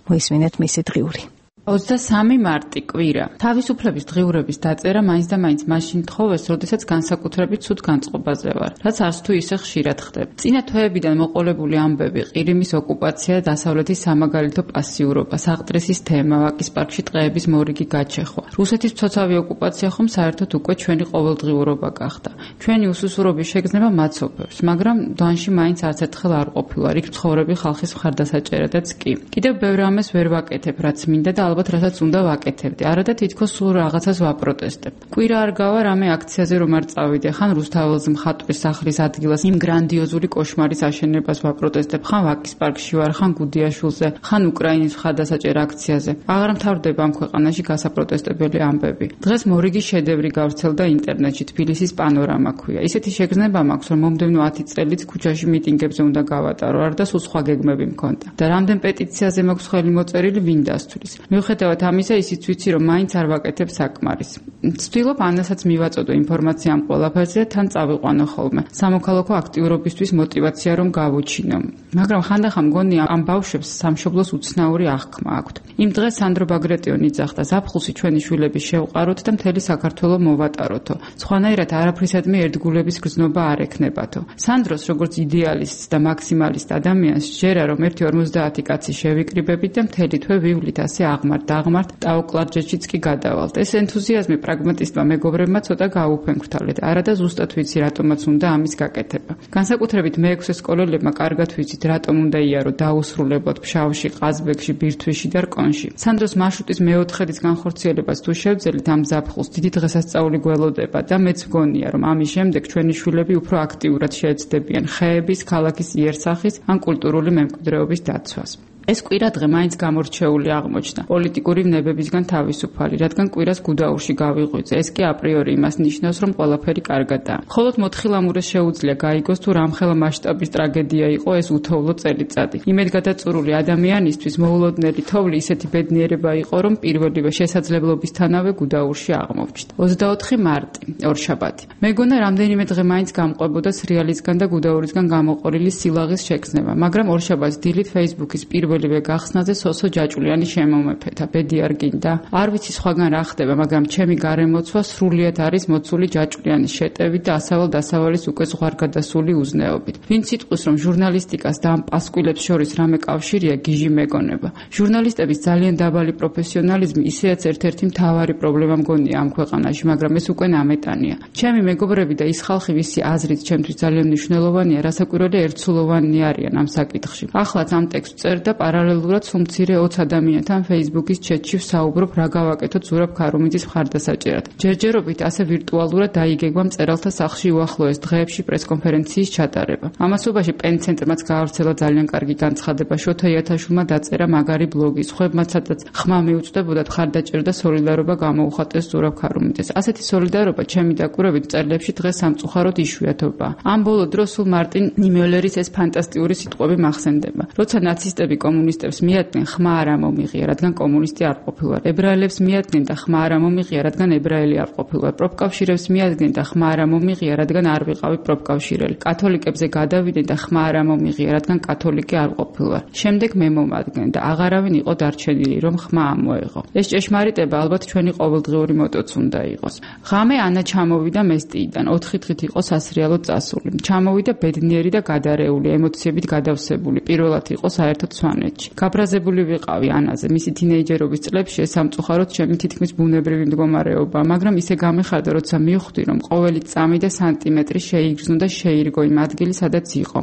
მოისმინეთ მისი დღიური. ოცდასამი მარტი კვირა. თავისუფლების დღიურების დაწერა მაინც და მაინც მაშინ თხოვეს, როდესაც განსაკუთრებით ცუდ განწყობაზე ვარ, რაც არც თუ ისე ხშირად ხდება. წინა თვეებიდან მოყოლებული ამბები, ყირიმის ოკუპაცია, დასავლეთის სამაგალითო პასიურობა, საღტრისის თემა, ვაკის პარკში ტყეების მორიგი გაჩეხვა. რუსეთის მცოცავი ოკუპაცია ხომ საერთოდ უკვე ჩვენი ყოველდღიურობა გახდა. ჩვენი უსუსურობის შეგრძნება მაცოფებს, მაგრამ დანში მაინც არც ერთხელ არ ყოფილა, იქ მცხოვრები ხალხის მხარდასაჭერადაც კი. კიდევ ბევრ ამას ვერ ვაკეთებ, რაც მინდა და ალბათ რასაც უნდა ვაკეთებდი. არა და თითქოს სულ რაღაცას ვაპროტესტებ. კვირა არ გავა რამე აქციაზე რომ არ წავიდე, ხან რუსთაველს მხატვრის სახლის ადგილას იმ გრანდიოზული კოშმარის აშენებას ვაპროტესტებ, ხან ვაკის პარკში ვარ, ხან გუდიაშვილზე, ხან უკრაინის მხარდასაჭერ აქციაზე. აღარ მთავრდება ამ ქვეყანაში გასაპროტესტებელი ამბები. დღეს მორიგი შედევრი გავრცელდა ინტერნეტში, თბილისის პანორამა ქვია. ისეთი შეგრძნება მაქვს, რომ მომდევნო ათი წელიც ქუჩაში მიტინგებზე უნდა გავატარო, არ და სულ სხვა გეგმები მქონდა. და რამდენ პეტიციაზე მაქვს ხელი მოწერილი, ვინ დასთვლის. მიუხედავად ამისა, ისიც ვიცი, რომ მაინც არ ვაკეთებ საკმარის. ვცდილობ ანასაც მივაწოდო ინფორმაცია ამ ყველაფერზე და თან წავიყვანო ხოლმე. სამოქალაქო აქტიურობისთვის მოტივაცია რომ გავუჩინო. მაგრამ ხანდახან მგონია ამ ბავშვებს სამშობლოს უცნაური აღქმა აქვთ. იმ დღეს სანდრო ბაგრატიონი ძახდა, ზაფხულში ჩვენი შვილები შევყაროთ და მთელი საქართველო მოვატაროთო. სხვანაირად არაფრისადმი ერთგულების გრძნობა არ ექნებათო. სანდროს როგორც იდეალისტს და მაქსიმალისტ ადამიანს სჯერა, რომ ერთი ორმოცდაათი კაცი შევიკრიბებით და მთელი თვე ვივლით ასე აღმართ დაღმართ ტაოკლარჯეთშიც კი გადავალთ. ეს ენთუზიაზმი პრაგმატისტმა მეგობრებმა ცოტა გაუფენქრთალეთ. არა და ზუსტად ვიცი რატომაც უნდა ამის გაკეთება. განსაკუთრებით მეექვსე სკოლელებმა კარგად ვიცით რატომ უნდა იარო დაუსრულებლად ფშავში, ყაზბეგში, ბირთვიში და რკონში. სანდროს მარშრუტის მეოთხედის განხორციელებას თუ შევძელით ამ ზაფხულს დიდი დღესასწაული გველოდება და მეც მგონია რომ ამის შემდეგ ჩვენი შვილები უფრო აქტიურად შეეცდებიან ხეების, ქალაქის იერსახის ან კულტურული მემკვიდრეობის დაცვას. ეს კვირა დღე მაინც გამორჩეული აღმოჩნდა პოლიტიკური ვნებებისგან თავისუფალი, რადგან კვირას გუდაურში გავიღვიძე. ეს კი აპრიორი იმას ნიშნავს, რომ ყველაფერი კარგადაა. მხოლოდ მოთხილამურეს შეუძლია გაიგოს თუ რამხელა მასშტაბის ტრაგედია იყო ეს უთოვლო წელიწადი. იმედგადაწურული ადამიანისთვის მოულოდნელი თოვლი ისეთი ბედნიერება იყო, რომ პირველივე შესაძლებლობისთანავე გუდაურში აღმოჩნდა. ოცდაოთხი მარტი, ორშაბათი. მეგონა რამდენიმე დღე მაინც გამყვებოდა სრიალისგან და გუდაურისგან გამოყოლილი სილაღის შექმნება, მაგრამ ორშაბათს დილით Facebook-ის პირველ პირველივე გახსნაზე სოსო ჯაჭულიანი შემომეფეთა, ბედი არ გინდა. არ ვიცი სხვაგან რა ხდება, მაგრამ ჩემი გარემოცვა სრულიად არის მოცული ჯაჭულიანის შეტევით და ასავალ-დასავალის უკვე ზღვარგადასული უზნეობით. ვინც იტყვის, რომ ჟურნალისტიკას და ამ პასკვილებს შორის რამე კავშირია, გიჟი მეგონება. ჟურნალისტების ძალიან დაბალი პროფესიონალიზმი ისეაც ერთ-ერთი მთავარი პრობლემა მგონია ამ ქვეყანაში, მაგრამ ეს უკვე ნამეტანია. ჩემი მეგობრები და ის ხალხი, ვისი აზრით ჩემთვის ძალიან მნიშვნელოვანია, რასაკვირველია ერთსულოვანი არიან ამ საკითხში. ახლაც ამ ტექსტს წერ და პარალელურად სულ მცირე ოცი ადამიანთან Facebook-ის ჩატში ვსაუბრობ, რა გავაკეთოთ ზურაბ ქარუმიძის მხარდასაჭერად. ჯერჯერობით ასე ვირტუალურად დაიგეგმა მწერალთა სახლში უახლოეს დღეებში პრესკონფერენციის ჩატარება. ამასობაში პენცენტრმაც გაავრცელა ძალიან კარგი განცხადება, შოთა იათაშვილმა დაწერა მაგარი ბლოგი, სხვებმაც სადაც ხმა მიუწვდებოდათ მხარდაჭერა და სოლიდარობა გამოუხატეს ზურაბ ქარუმიძეს. ასეთი სოლიდარობა ჩემი დაკვირვებით მწერლებში დღეს სამწუხაროდ იშვიათობაა. ამ ბოლო დროს სულ მარტინ ნიმიოლერის ეს ფანტასტიკური სიტყვები მახსენდება. როცა ნაცისტები კომუნისტებს მიადგნენ, ხმა არ ამომიღია, რადგან კომუნისტი არ ყოფილვარ. ებრაელებს მიადგნენ და ხმა არ ამომიღია, რადგან ებრაელი არ ყოფილვარ. პროფკავშირებს მიადგნენ და ხმა არ ამომიღია, რადგან არ ვიყავი პროფკავშირელი. კათოლიკებზე გადავიდნენ და ხმა არ ამომიღია, რადგან კათოლიკე არ ყოფილვარ. შემდეგ მე მომადგენ და აღარავინ იყო დარჩენილი, რომ ხმა ამოეღო. ეს ჭეშმარიტება ალბათ ჩვენი ყოველდღიური მოტოც უნდა იყოს. ღამე ანა ჩამოვიდა მესტიიდან, ოთხი დღით იყო სასრიალოდ წასული. ჩამოვიდა ბედნიერი და გადარეული, ემოციებით გადავსებული. პირველად იყო საერთოდ სვანეთში. გაბრაზებული ვიყავი ანაზე, მისი თინეიჯერობის წლებში ეს სამწუხაროდ ჩემი თითქმის ბუნებრივი მდგომარეობა, მაგრამ ისე გამეხარდა, როცა მივხვდი, რომ ყოველი წამი და სანტიმეტრი შეიგრძნო და შეირგო იმ ადგილი, სადაც იყო,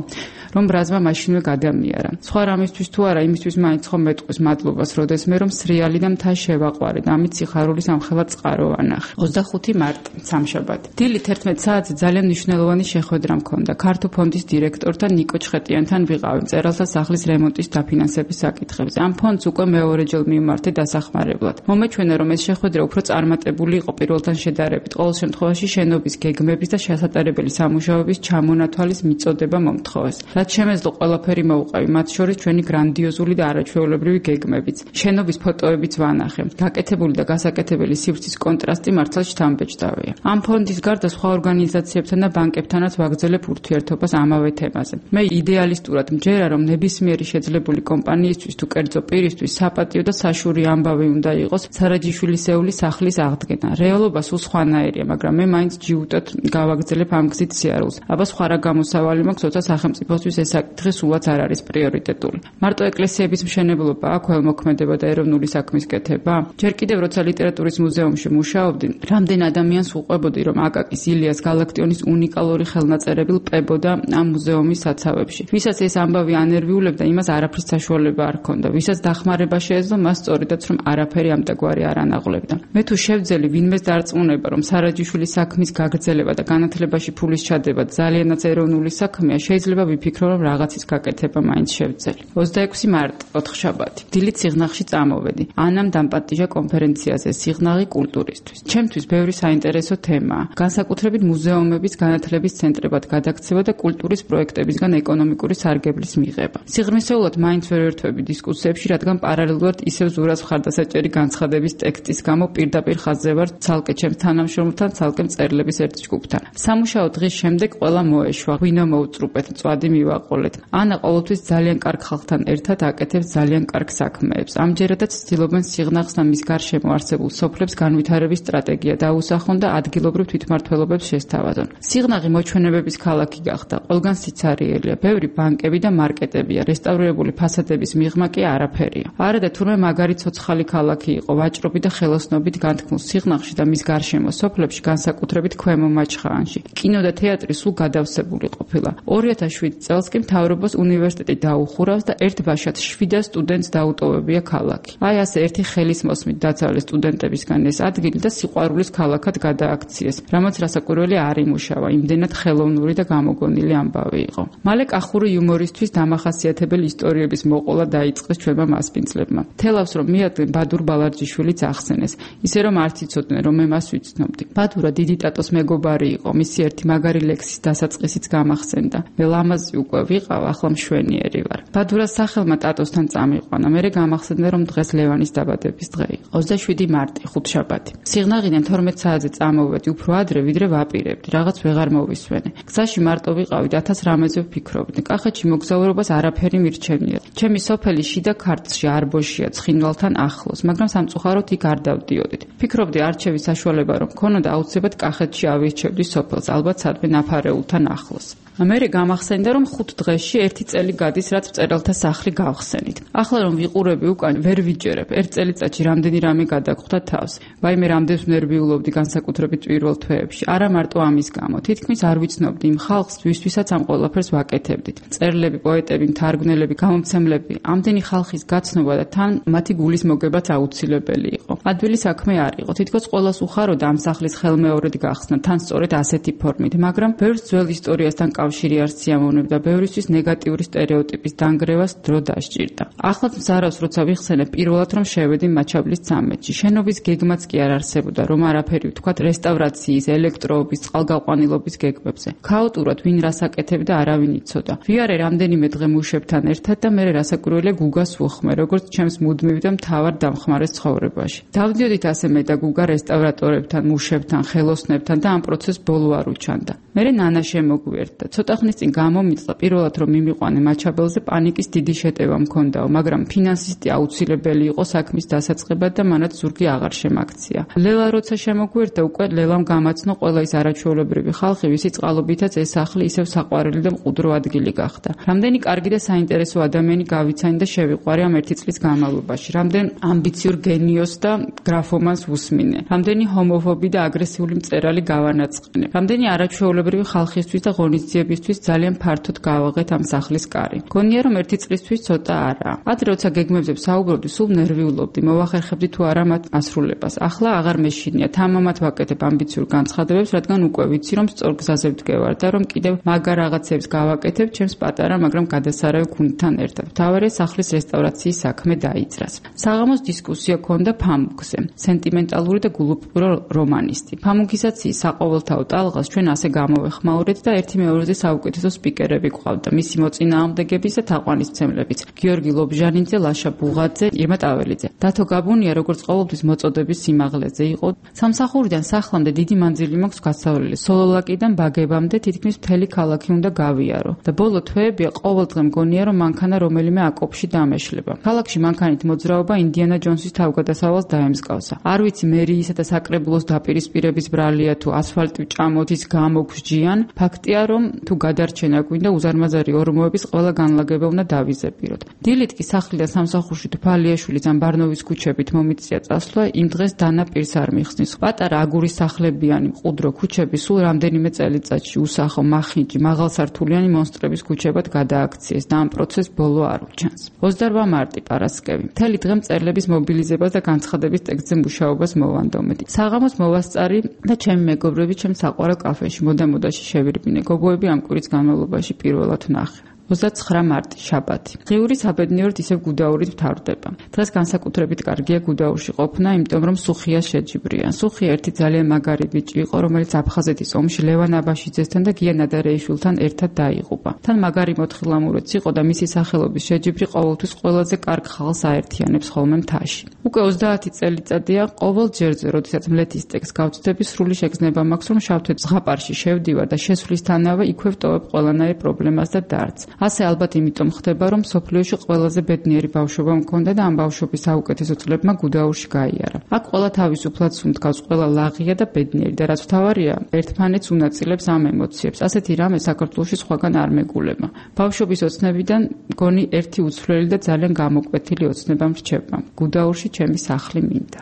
რომ ბრაზმა მაშინვე გადამიარა. სხვა რამისთვის თუ არა, იმისთვის მაინც ხომ მეტყვის მადლობას, როდესმე რომ სრიალი და მთა შევაყვარე და ამით სიხარულის ამხელა წყარო ანახე. ოცდახუთი მარტი, სამშაბათი. დილით ერთმეტ საათზე ძალიან მნიშვნელოვანი შეხვედრა მქონდა. ქართო ფონდის დირექტორთან ნიკო ჩხეტიანთან ვიყავი მწერალთა სახლის რემონტის დაფინანსების საკითხებზე. ამ ფონდს უკვე მეორეჯერ მივმართე დასახმარებლად. მომეჩვენა, რომ ეს შეხვედრა უფრო წარმატებული იყო პირველთან შედარებით. ყოველ შემთხვევაში შენობის გეგმების და შესატარებელი სამუშაოების ჩამონათვალის მიწოდება მომთხოვეს. რაც შემეძლო ყველაფერი მოვუყავი, მათ შორის ჩვენი გრანდიოზული და არაჩვეულებრივი გეგმებიც. შენობის ფოტოებიც ვანახე. გაკეთებული და გასაკეთებელი სივრცის კონტრასტი მართლაც შთამბეჭდავია. ამ ფონდის გარდა სხვა ორგანიზაციებთან და ბანკებთანაც ვაგრძელებ ურთიერთობას ამავე თემაზე. მე იდეალისტურად მჯერა, რომ ნებისმიერი შეძლებული კომპანიისთვის თუ კერძო პირისთვის საპატიო და საშური ამბავი უნდა იყოს სარაჯიშვილისეული სახლის აღდგენა. რეალობა სულ სხვანაირია, მაგრამ მე მაინც ჯიუტად გავაგრძელებ ამ გზით სიარულს. აბა სხვა რა გამოსავალი მაქვს, როცა სახელმწიფოსთვის ეს საკითხი სულაც არ არის პრიორიტეტული. მარტო ეკლესიების მშენებლობა, აქ ველმოქმედება და ეროვნული საქმის კეთება? ჯერ კიდევ როცა ლიტერატურის მუზეუმში მუშაობდი, რამდენ ადამიანს უყვებოდი, რომ აკაკის, ილიას, გალაქტიონის უნიკალური ხელნაწერები ლპებოდა ამ მუზეუმის საცავებში. ვისაც ეს ამბავი ანერვიულებდა, იმას არაფრის საშუალება არ ჰქონდა. ვისაც დახმარება შეეძლო, მას სწორედაც რომ არაფერი ამტაგვარი არ ანაღლებდა. მე თუ შევძელი ვინმეს დარწმუნება, რომ სარაჯიშვილის საქმის გაგრძელება და განათლებაში ფულის ჩადება ძალიანაც ეროვნული საქმეა, შეიძლება ვიფიქრო, რომ რაღაცის გაკეთება მაინც შევძელი. ოცდაექვსი მარტი, ოთხშაბათი. დილით სიღნაღში წამოვედი. ანამ დამპატიჟა კონფერენციაზე სიღნაღი კულტურისთვის. ჩემთვის ბევრი საინტერესო თემაა. განსაკუთრებით მუზეუმების განათლების ცენტრებად გადაქცევა და კულტურის პროექტებისგან ეკონომიკური სარგებლის მიღება. სიღრმისეულად მაინც ვერ ვერთვები დისკუსიებში, რადგან პარალელურად ისევ ზურას მხარდასაჭერი განცხადების ტექსტის გამო პირდაპირ ხაზზე ვარ ცალკე ჩემს თანამშრომელთან, ცალკე მწერლების ერთ ჯგუფთან. სამუშაო დღის შემდეგ ყველა მოეშვა, ღვინო მოუწრუპეთ, მწვადი მივაყოლეთ. ანა ყოველთვის ძალიან კარგ ხალხთან ერთად აკეთებს ძალიან კარგ საქმეებს. ამჯერადაც ცდილობენ სიღნაღს და მის გარშემო არსებულ სოფლებს განვითარების სტრატეგია დაუსახონ და ადგილობრივ თვითმმართველობებს შესთავაზონ. სიღნაღი მოჩვენებების ქალაქი გახდა. ყველგან სიცარიელია, ბევრი ბანკები და მარკეტებია, რესტავრირებული ფასადების მიღმა კი არაფერია. არა და თურმე მაგარი ცოცხალი ქალაქი იყო, ვაჭრობით და ხელოსნობით განთქმულ სიღნაღში და მის გარშემო სოფლებში, განსაკუთრებით ქვემო მაჩხაანში. კინო და თეატრი სულ გადავსებული ყოფილა. ორი ათას შვიდი წელს კი მთავრობას უნივერსიტეტი დაუხურავს და ერთ ბაშად შვიდას სტუდენტს დაუტოვებია ქალაქი. აი ასე ერთი ხელის მოსმით დაცალეს სტუდენტებისგან ეს ადგილი და სიყვარულის ქალაქად გადააქციეს, რამაც რასაკვირველი არ იმუშავა, იმდენად ხელოვნური და გამოგონილი ამბავი იყო. მალე კახური იუმორისთვის დამახასიათებელი ისტორიების მოყოლა დაიწყეს ჩვენმა მასპინძლებმა. თელავს რომ მიადგენ ბადურ ბალარჯიშვილიც ახსენეს, ისე რომ არც იცოდნენ რომ მე მას ვიცნობდი. ბადურა დიდი ტატოს მეგობარი იყო, მისი ერთი მაგარი ლექსის დასაწყისიც გამახსენდა. მე ლამაზი უკვე ვიყავ, ახლა მშვენიერი ვარ. ბადურას სახელმა ტატოსთან წამიყვანა, მერე გამახსენდა რომ დღეს ლევანის დაბადების დღე იყო. ოცდაშვიდი მარტი, ხუთშაბათი. სიღნაღიდან თორმეტ საათზე წამოვედი უფრო ადრე, ვიდრე ვაპირებდი, რაღაც ვეღარ მოვისვენე. გზაში მარტო ვიყავი, ათას რამეზე ვფიქრობდი. კახეთში მოგზაურობას არაფერი მირჩენია. ჩემი სოფელი შიდა ქართლში არბოშია ცხინვალთან ახლოს, მაგრამ სამწუხაროდ იქ არ დავდიოდით. ფიქრობდი არჩევის საშუალება რომ მქონოდა აუცილებლად კახეთში ავირჩევდი სოფელს, ალბათ სადმე ნაფარეულთან ახლოს. მერე გამახსენდა რომ ხუთ დღეში ერთი წელი გადის რაც მწერალთა სახლი გავხსენით. ახლა რომ ვიყურები უკან ვერ ვიჯერებ, ერთ წელიწადში რამდენი რამე გადაგხვდა თავს. ვაიმე რამდენს ნერვიულობდი განსაკუთრებით პირველ თვეებში. არა მარტო ამის გამო, თითქმის არ ვიცნობდი იმ ხალხს, ვისთვისაც ამ ყველაფერს ვაკეთებდით. მწერლები, პოეტები, მთარგმნელები, გამომცემლები, ამდენი ხალხის გაცნობა და თან მათი გულის მოგებაც აუცილებელი იყო. ადვილი საქმე არ იყო. თითქოს ყველას უხაროდა ამ სახლის ხელმეორედ გახსნა, თან სწორედ ასეთი ფორმით, მაგრამ ბევრს ძველ ისტორიასთან კავშირი არ სიამოვნებდა, ბევრისთვის ნეგატიური სტერეოტიპის დანგრევას დრო დასჭირდა. ახლაც მზარავს, როცა ვიხსენებ პირველად რომ შევედი მაჩაბლის ცამეტში. შენობის გეგმაც კი არ არსებობდა, რომ არაფერი ვთქვათ რესტავრაციის, ელექტროობის, წყალგაყვანილობის გეგმებზე. ქაოტურად ვინ რას აკეთებდა, არავინ იცოდა. ვიარე რამდენიმე დღე მუშებთან ერთად და მე რასაკვირველია გუგას ვუხმე, როგორც ჩემს მუდმივ და მთავარ დამხმარეს ცხოვრებაში. დავდიოდით ასე მე და გუგა რესტავრატორებთან, მუშებთან, ხელოსნებთან და ამ პროცესს ბოლო არ უჩანდა. მერე ნანა შემოგვიერთდა. ცოტა ხნის წინ გამომიწლა პირველად რომ მიმიყვანე მაჩაბელზე პანიკის დიდი შეტევა მქონდაო, მაგრამ ფინანსისტი აუცილებელი იყო საქმის დასაწყებად და მანაც ზურგი აღარ შემაქცია. ლელა როცა შემოგვიერთდა, უკვე ლელამ გამაცნო ყველა ის არაჩვეულებრივი ხალხი, ვისი წყალობითაც ეს სახლი ისევ საყვარელი და მყუდრო ადგილი გახდა. რამდენი კარგი და საინტერესო ადამიანი გავიცანი და შევიყვარე ამ ერთი წლის განმავლობაში. რამდენ ამბიციურ გენიოს და გრაფომანს ვუსმინე. რამდენი ჰომოფობი და აგრესიული მწერალი გავანაწყენე. რამდენი არაჩვეულებრივი ხალხისთვის და ღონისძიებისთვის ძალიან ფართოდ გავაღეთ ამ სახლის კარი. გონია რომ ერთი წლისთვის ცოტა არა. ადრე როცა გეგმებზე საუბრობდი, სულ ნერვიულობდი, მოვახერხებდი თუ არა მათ ასრულებას. ახლა აღარ მეშინია, თამამად ვაკეთებ ამბიციურ განცხადებებს, რადგან უკვე ვიცი რომ სწორ გზაზე ვდგევარ და რომ კიდევ მაგარ რაღაცებს გავაკეთებ ჩემს პატარა, მაგრამ გადასარავი გუნდთან ერთად. მთავარია სახლის რესტავრაციის საქმე დაიძრას. საღამოს დისკუსია ქონდა ფამუქზე. სენტიმენტალური და გულუპურო რომანისტი. ფამუქისაციის საყოველთაო ტალღას ჩვენ ასე გამოვეხმაურეთ და ერთი მეორეზე საუკეთესო სპიკერები გვყავდა. მისი მოწინააღმდეგების და თაყვანისმცემლებიც. გიორგი ლობჟანიძე, ლაშა ბუღაძე, ირმა ტაველიძე. დათო გაბუნია როგორც ყოველთვის მოწოდების სიმაღლეზე იყო. სამსახურიდან სახლამდე დიდი მანძილი მაქვს გასავლელი. სოლოლაკიდან ბაგებამდე თითქმის მთელი ქალაქი უნდა გავიარო. და ბოლო თვეებია ყოველდღე მგონია რომ მანქანა რომელიმე აკოპში დამეშლება. ქალაქში მანქანით მოძრაობა ინდიანა ჯონსის თავგადასავალს დაემსგავსა. არ ვიცი მერიისა და საკრებულოს დაპირისპირების ბრალია თუ ასფალტი ჭამოთის გამოგსჯიან. ფაქტია რომ თუ გადარჩენა გვინდა უზარმაზარი ორმოების ყველა განლაგება უნდა დავიზებიროთ. დილით კი სახლიდან სამსახურში თვალიაშვილის ან ბარნოვის ქუჩებით მომიწია წასვლა, იმ დღეს დანა პირს არ მიხსნის. პატარა აგურის სახლებიანი მყუდრო ქუჩები სულ რამდენიმე წელიწადში უსახო, მახინჯი, მაღალსართულიანი მონსტრების ქუჩებად გადააქციეს და ამ პროცესს ბოლო არ უჩანს. ოცდაოთხ მარტი პარასკევი. მთელი დღე მწერლების მობილიზებას და განცხადების ტექსტზე მუშაობას მოვანდომეთ. საღამოს მოვასწარი და ჩემი მეგობრები ჩემს საყვარელ კაფეში მოდა-მოდაში შევირბინე. გოგოები ამ კვირის განმავლობაში პირველად ვნახე. ოცდაცხრა მარტი, შაბათი. ღიური საბედნიეროდ ისევ გუდაურით მთავრდება. დღეს განსაკუთრებით კარგია გუდაურში ყოფნა, იმიტომ რომ სუხიას შეჯიბრიან. სუხია ერთი ძალიან მაგარი ბიჭი იყო, რომელიც აფხაზეთის ომში ლევან აბაშიძესთან და გია ნადარეიშვილთან ერთად დაიღუპა. თან მაგარი მოთხილამურეც იყო და მისი სახელობის შეჯიბრი ყოველთვის ყველაზე კარგ ხალხს აერთიანებს ხოლმე მთაში. უკვე ოცდაათი წელიწადია ყოველ ჯერზე, როდესაც მლეთის ტექსტს გავწდები, სრული შეგრძნება მაქვს, რომ შავთვეთ ზღაპარში შევდივარ და შესვლისთანავე იქვე ვტოვებ ყველანაირ პრობლემას და დარდს. ასე ალბათ იმიტომ ხდება, რომ სოფლიოში ყველაზე ბედნიერი ბავშვობა მქონდა და ამ ბავშვობის საუკეთესო წლებმა გუდაურში გაიარა. აქ ყველა თავისუფლად სუნთქავს, ყველა ლაღია და ბედნიერი და რაც მთავარია, ერთმანეთს უნაწილებს ამ ემოციებს. ასეთი რამე საქართველოში სხვაგან არ მეგულება. ბავშვობის ოცნებიდან მგონი ერთი უცვლელი და ძალიან გამოკვეთილი ოცნება მრჩება. გუდაურში ჩემი სახლი მინდა.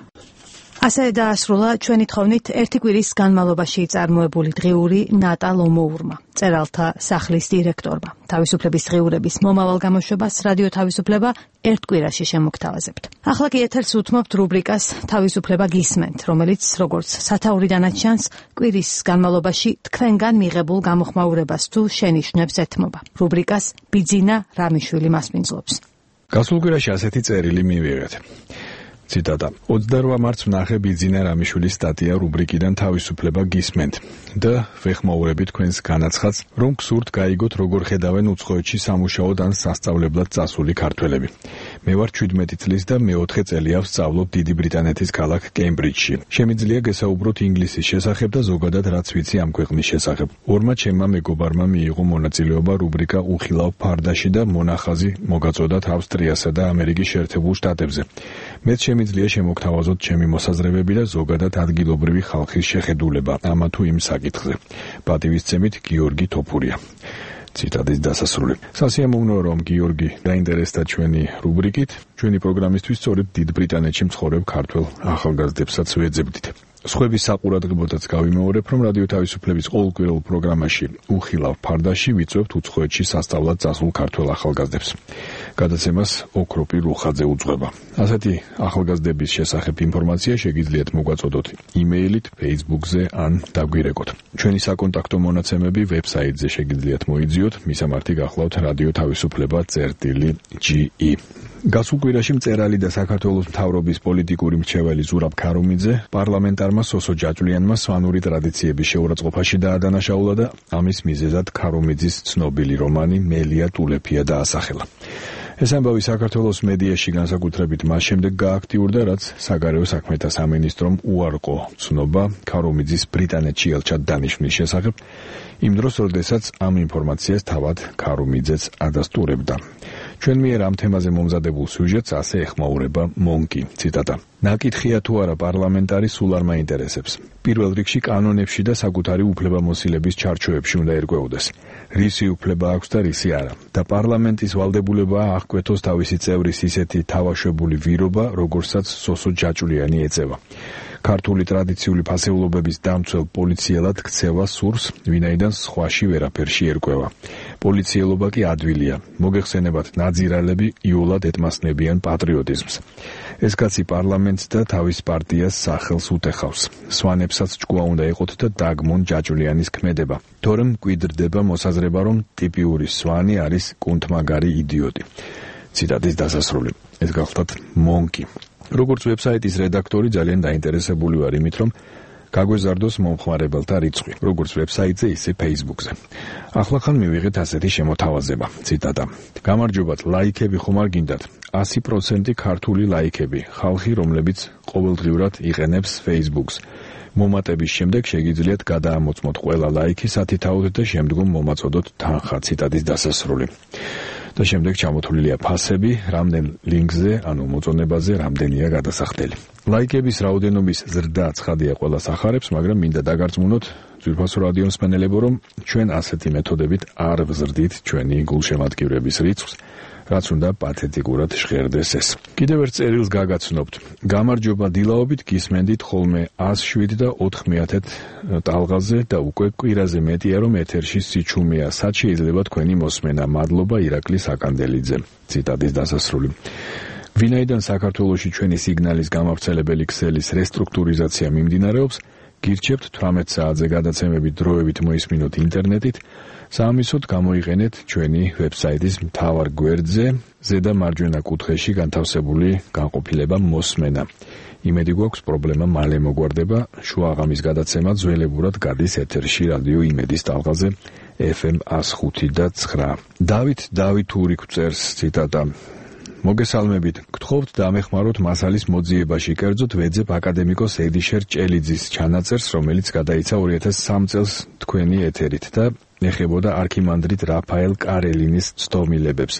ასე დაასრულა ჩვენი თხოვნით ერთი კვირის განმავლობაში წარმოებული დღიური ნატა ლომოურმა, წერალთა სახლის დირექტორმა. თავისუფლების დღიურების მომავალ გამოშვებას რადიო თავისუფლება ერთ კვირაში შემოგთავაზებთ. ახლა კი ეთერს უთმობთ რუბრიკას თავისუფლება გისმენთ, რომელიც როგორც სათაურიდანაც ჩანს, კვირის განმავლობაში თქვენგან მიღებულ გამოხმაურებას თუ შენიშვნებს ეთმობა. რუბრიკას ბიძინა რამიშვილი მასპინძლობს. გასულ კვირაში ასეთი წერილი მივიღეთ. ციტატა: ოცდაოთხ მარტს ვნახე ბიძინა რამიშვილის სტატია რუბრიკიდან თავისუფლება გისმენთ და ვეხმაურები თქვენს განაცხადს, რომ გსურთ გაიგოთ როგორ ხედავენ უცხოეთში სამუშაოდ ან სასწავლებლად წასული ქართველები. მე ვარ შვიდმეტი წლის და მეოთხე წელია ვსწავლობ დიდი ბრიტანეთის ქალაქ კემბრიჯში. შემიძლია გესაუბროთ ინგლისის შესახებ და ზოგადად რაც ვიცი ამ ქვეყნის შესახებ. ორმა ჩემმა მეგობარმა მიიღო მონაწილეობა რუბრიკა უხილავ ფარდაში და მონახაზი მოგაწოდათ ავსტრიასა და ამერიკის შეერთებულ შტატებზე. მეც შემიძლია შემოგთავაზოთ ჩემი მოსაზრებები და ზოგადად ადგილობრივი ხალხის შეხედულება ამა თუ იმ საკითხზე. პატივისცემით გიორგი თოფურია. ციტატის დასასრული. სასიამოვნოა რომ გიორგი დაინტერესდა ჩვენი რუბრიკით. ჩვენი პროგრამისთვის სწორედ დიდ ბრიტანეთში მცხოვრებ ქართველ ახალგაზრდებსაც ვეძებდით. სხვების საყურადღებოდაც გავიმეორებ, რომ რადიო თავისუფლების ყოველკვირეულ პროგრამაში უხილავ ფარდაში ვიწვევთ უცხოეთში სასწავლად წასულ ქართველ ახალგაზრდებს. გადაცემას ოქროპი რუხაძე უძღვება. ასეთი ახალგაზრდების შესახებ ინფორმაცია შეგიძლიათ მოგვაწოდოთ იმეილით, Facebook-ზე ან დაგვირეკოთ. ჩვენი საკონტაქტო მონაცემები ვებსაიტზე შეგიძლიათ მოიძიოთ, მისამართი გახლავთ რადიო თავისუფლება წერტილი ჯი ი. გასულ კვირაში მწერალი და საქართველოს მთავრობის პოლიტიკური მრჩეველი ზურაბ ქარუმიძე პარლამენტარმა სოსო ჯაჭვლიანმა სვანური ტრადიციების შეურაცხყოფაში დაადანაშაულა და ამის მიზეზად ქარუმიძის ცნობილი რომანი მელია ტულეფია დაასახელა. ეს ამბავი საქართველოს მედიაში განსაკუთრებით მას შემდეგ გააქტიურდა, რაც საგარეო საქმეთა სამინისტრომ უარყო ცნობა ქარუმიძის ბრიტანეთში ელჩად დანიშვნის შესახებ, იმ დროს, როდესაც ამ ინფორმაციას თავად ქარუმიძეც ადასტურებდა. ჩვენ მიერ ამ თემაზე მომზადებულ სიუჟეტს ასე ეხმაურება მონკი, ციტატა. ნაკითხია თუ არა პარლამენტარი სულ არ მაინტერესებს. პირველ რიგში კანონებში და საკუთარი უფლებამოსილების ჩარჩოებში უნდა ერკვეოდეს. რისი უფლება აქვს და რისი არა. და პარლამენტის ვალდებულებაა აღკვეთოს თავისი წევრის ისეთი თავაშვებული ვირობა, როგორცაც სოსო ჯაჭვლიანი ეწევა. ქართული ტრადიციული ფასეულობების დამცველ პოლიციელად ქცევა სურს, ვინაიდან სხვაში ვერაფერში ერკვევა. პოლიციელობა კი ადვილია. მოგეხსენებათ ნაძირალები იულად ეტმასნებიან პატრიოტიზმს. ეს კაცი პარლამენტს და თავის პარტიას სახელს უტეხავს. სვანებსაც ჭკუა უნდა იყოთ და დაგმონ ჯაჭვლიანის ქმედება. თორემ მკვიდრდება მოსაზრება, რომ ტიპიური სვანი არის კუნთმაგარი იდიოტი. ციტატის დასასრული. ეს გახლავთ მონკი. როგორც ვებსაიტის რედაქტორი ძალიან დაინტერესებული ვარ იმით, რომ გაგვეზარდოს მომხმარებელთა რიცხვი, როგორც ვებსაიტზე, ისე Facebook-ზე. ახლახან მივიღეთ ასეთი შემოთავაზება, ციტატა. გამარჯობათ, ლაიქები ხომ არ გინდათ? ასი პროცენტი ქართული ლაიქები, ხალხი, რომლებიც ყოველდღიურად იყენებს Facebook-ს. მომატების შემდეგ შეგიძლიათ გადაამოწმოთ ყველა ლაიქი სათითაოდ და შემდგომ მომაწოდოთ თანხა, ციტატის დასასრული. და შემდეგ ჩამოთვლილია ფასები, რამდენ ლინკზე, ანუ მოწონებაზე, რამდენია გადასახდელი. ლაიქების რაოდენობის ზრდა ცხადია ყველას ახარებს, მაგრამ მინდა დაგარწმუნოთ ძვირფასო რადიო მსმენელებო, რომ ჩვენ ასეთი მეთოდებით არ ვზრდით ჩვენი გულშემატკივრების რიცხვს, რაც უნდა პათეტიკურად ჟღერდეს ეს. კიდევ ერთ წერილს გაგაცნობთ. გამარჯობა დილაობით, გისმენდით ხოლმე ას შვიდ და ოთხ მეათედ ტალღაზე და უკვე კვირაზე მეტია, რომ ეთერში სიჩუმეა. სად შეიძლება თქვენი მოსმენა? მადლობა ირაკლი საკანდელიძე. ციტატის დასასრული. ვინაიდან საქართველოში ჩვენი სიგნალის გამავრცელებელი ქსელის რესტრუქტურიზაცია მიმდინარეობს, გირჩევთ თვრამეტ საათზე გადაცემები დროებით მოისმინოთ ინტერნეტით, საამისოდ გამოიყენეთ ჩვენი ვებსაიტის მთავარ გვერდზე, ზედა მარჯვენა კუთხეში განთავსებული განყოფილება მოსმენა. იმედი გვაქვს პრობლემა მალე მოგვარდება, შუაღამის გადაცემა ძველებურად გადის ეთერში რადიო იმედის ტალღაზე ეფ ემ ას ხუთი და ცხრა. დავით დავითური გვწერს, ციტატა. მოგესალმებით, გთხოვთ დამეხმაროთ მასალის მოძიებაში, კერძოდ ვეძებ აკადემიკოს ედიშერ ჭელიძის ჩანაწერს, რომელიც გადაიცა ორი ათას სამ წელს თქვენი ეთერით და ეხებოდა არქიმანდრიტ რაფაელ კარელინის ცდომილებებს.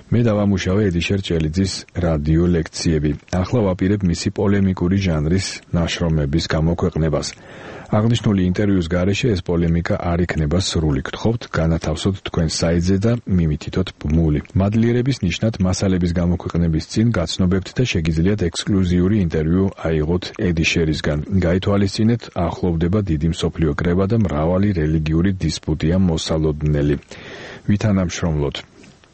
მე დავამუშავე ედიშერ ჭელიძის რადიო ლექციები. ახლა ვაპირებ მისი პოლემიკური ჟანრის ნაშრომების გამოქვეყნებას. აღნიშნული ინტერვიუს გარეშე ეს პოლემიკა არ იქნება სრული. გთხოვთ განათავსოთ თქვენ საიტზე და მიმითითოთ ბმული. მადლიერების ნიშნად მასალების გამოქვეყნების წინ გაცნობებთ და შეგიძლიათ ექსკლუზიური ინტერვიუ აიღოთ ედიშერისგან. გაითვალისწინეთ, ახლოვდება დიდი მსოფლიო კრება და მრავალი რელიგიური დისპუტია მოსალოდნელი. ვითანამშრომლოთ.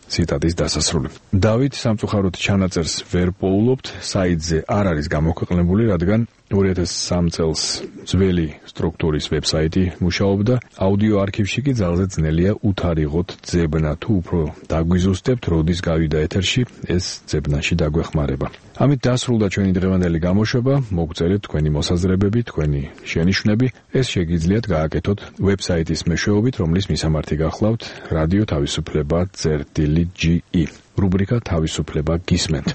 ციტატის დასასრული. დავით სამწუხაროდ ჩანაწერს ვერ პოულობთ, საიტზე არ არის გამოქვეყნებული, რადგან ორი ათას სამი წელს ძველი სტრუქტურის ვებსაიტი მუშაობდა. აუდიო არქივში კი ძალზე ძნელია უთარიღოთ ძებნა თუ უფრო დაგვიზუსტებთ, როდის გავიდა ეთერში ეს ძებნაში დაგვეხმარება. ამით დასრულდა ჩვენი დღევანდელი გამოშვება. მოგწერეთ თქვენი მოსაზრებები, თქვენი შენიშვნები. ეს შეგიძლიათ გააკეთოთ ვებსაიტის მეშვეობით, რომლის მისამართი გახლავთ რადიო თავისუფლება წერტილი ჯი ი. რუბრიკა თავისუფლება გისმენთ.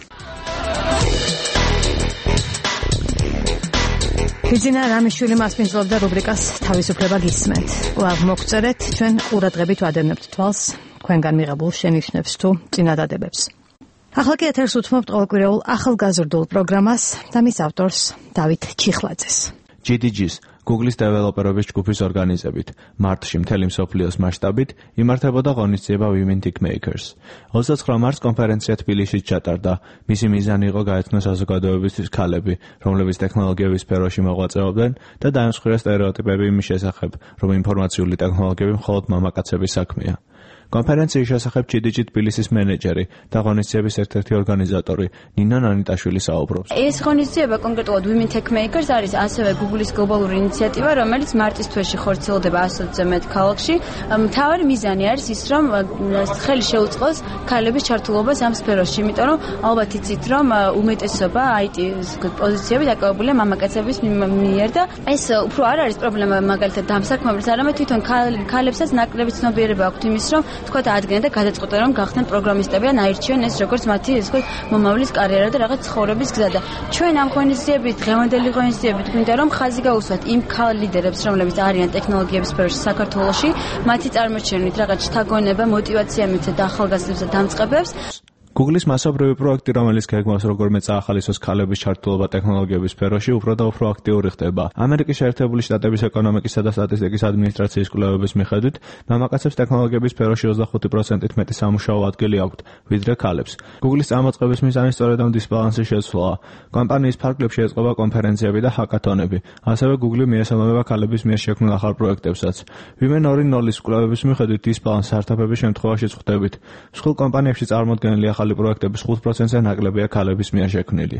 ბიძინა რამიშვილი მასპინძლობდა რუბრიკას თავისუფლება გისმენთ. კვლავ მოგწერეთ, ჩვენ ყურადღებით ვადევნებთ თვალს თქვენგან მიღებულ შენიშვნებს თუ წინადადებებს. ახლა კი ეთერს უთმობთ ყოველკვირეულ ახალგაზრდულ პროგრამას და მის ავტორს დავით ჩიხლაძეს. ჯი დი ჯის Google-ის დეველოპერების ჯგუფის ორგანიზებით მარტში მთელი მსოფლიოს მასშტაბით იმართებოდა ღონისძიება Women Tech Makers. ოცდაოთხი მარტს კონფერენცია თბილისში ჩატარდა. მისი მიზანი იყო გაეცნოს საზოგადოებისთვის ქალები, რომლებიც ტექნოლოგიების სფეროში მოღვაწეობდნენ და დაემსხვრია სტერეოტიპები იმის შესახებ, რომ ინფორმაციული ტექნოლოგიები მხოლოდ მამაკაცების საქმეა. კონფერენციის შესახებ ჯი დი ჯი თბილისის მენეჯერი და ღონისძიების ერთ-ერთი ორგანიზატორი ნინა ნანიტაშვილი საუბრობს. ეს ღონისძიება კონკრეტულად Women Tech Makers არის ასევე Google-ის გლობალური ინიციატივა, რომელიც მარტის თვეში ხორციელდება ასოცზე მეტ ქალაქში. მთავარი მიზანი არის ის, რომ ხელი შეუწყოს ქალების ჩართულობას ამ სფეროში, იმიტომ რომ ალბათ იცით, რომ უმეტესობა აი ტი პოზიციები დაკავებულია მამაკაცების მიერ და ეს უფრო არ არის პრობლემა მაგალითად ამ საქმეებს, არამედ თვითონ ქალებსაც ნაკლები ცნობიერება აქვთ იმის, რომ თქვა ადგენენ და გადაწყვეტენ რომ გახდნენ პროგრამისტები ან აირჩიონ ეს როგორც მათი ეს თქვა მომავლის კარიერა და რაღაც ცხოვრების გზა და ჩვენ ამ ღონისძიებით დღევანდელი ღონისძიებით გვინდა რომ ხაზი გაუსვათ იმ ქალ ლიდერებს რომლებიც არიან ტექნოლოგიების სფეროში საქართველოში მათი წარმოჩენით რაღაც შთაგონება მოტივაცია მიცეთ ახალგაზრდებს და დამწყებებს. Google-ის მასობრივი პროექტი, რომელიც გეგმავს როგორმე წაახალისოს ქალების ჩართულობა ტექნოლოგიების სფეროში, უფრო და უფრო აქტიური ხდება. ამერიკის შეერთებული შტატების ეკონომიკისა და სტატისტიკის ადმინისტრაციის კვლევების მიხედვით, მამაკაცებს ტექნოლოგიების სფეროში ოცდახუთი პროცენტით მეტი სამუშაო ადგილი აქვთ, ვიდრე ქალებს. Google-ის წარმოწყების მიზანი სწორედ ამ დისბალანსის შეცვლაა. კომპანიის ფარგლებში ეწყობა კონფერენციები და ჰაკათონები. ასევე Google მიესალმება ქალების მიერ შექმნილ ახალ პროექტებსაც. Women ორი ნულის კვლევების მიხედვით დისბალანს საერთაფების შემთხვევაში წხვდებით. მსხვილ კომპანიებში წარმოდგენილი ახალი პროექტების ხუთ პროცენტზე ნაკლებია ქალების მიერ შექმნილი.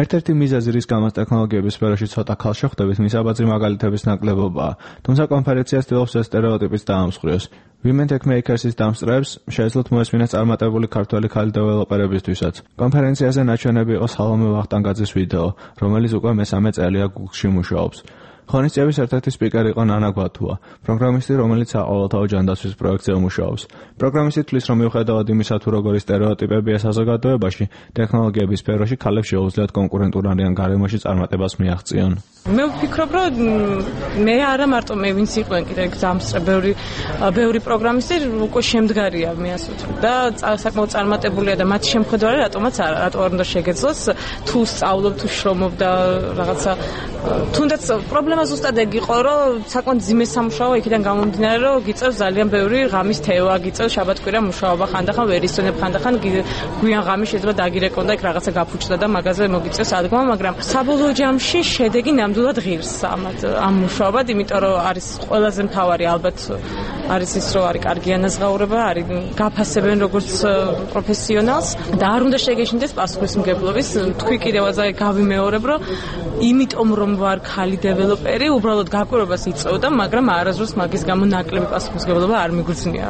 ერთ-ერთი მიზეზი, რის გამოც ტექნოლოგიების სფეროში ცოტა ქალ შეხვდებით, მისაბაძი მაგალითების ნაკლებობაა. თუმცა კონფერენცია ცდილობს ეს სტერეოტიპის დაამსხვრიოს. Women Tech Makers-ის დამსწრეებს შეეძლოთ მოესმინეს წარმატებული ქართველი ქალი დეველოპერებისთვისაც. კონფერენციაზე ნაჩვენები იყო სალომე ვახტანგაძის ვიდეო, რომელიც უკვე მესამე წელია Google-ში მუშაობს. ღონისძიების ერთ-ერთი სპიკერი იყო ნანა გვათუა, პროგრამისტი, რომელიც საყოველთაო ჯანდაცვის პროექტზე მუშაობს. პროგრამისტი თვლის, რომ მიუხედავად იმისა, თუ როგორი სტერეოტიპებია საზოგადოებაში, ტექნოლოგიების სფეროში ქალებს შეუძლიათ კონკურენტულიან გარემოში წარმატებას მიაღწიონ. მე ვფიქრობ, რომ მე არა მარტო მე ვინც იყვნენ კიდე დამსწრე ბევრი ბევრი პროგრამისტი უკვე შემდგარია მე ასე ვთქვი და საკმაოდ წარმატებულია და მათი შემხედვარი რატომაც არა, რატო არ უნდა შეგეძლოს თუ სწავლობ თუ შრომობ და რაღაცა თუნდაც პრობლემა ზუსტად ეგ იყო, რომ საკმაოდ ძიმე სამუშაო იქიდან გამომდინარე, რომ გიწევს ძალიან ბევრი ღამის თევა, გიწევს შაბათ-კვირა მუშაობა, ხანდახან ვერ ისწონებ, ხანდახან გვიან ღამის შეიძლება დაგირეკონ და იქ რაღაცა გაფუჭდა და მაგაზე მოგიწევს ადგომა, მაგრამ საბოლოო ჯამში შედეგი ნამდვილად ღირს ამ მუშაობად, იმიტომ რომ არის ყველაზე მთავარი ალბათ არის ის, რომ არის კარგი ანაზღაურება, არის გაფასებენ როგორც პროფესიონალს და არ უნდა შეგეშინდეს პასუხისმგებლობის. თქვი კიდევაზე გავიმეორებ, რომ იმიტომ რომ ვარ ქალი დეველოპერი, უბრალოდ გაკვირვებას იწევდა, მაგრამ არასდროს მაგის გამო ნაკლები პასუხისმგებლობა არ მიგრძნია.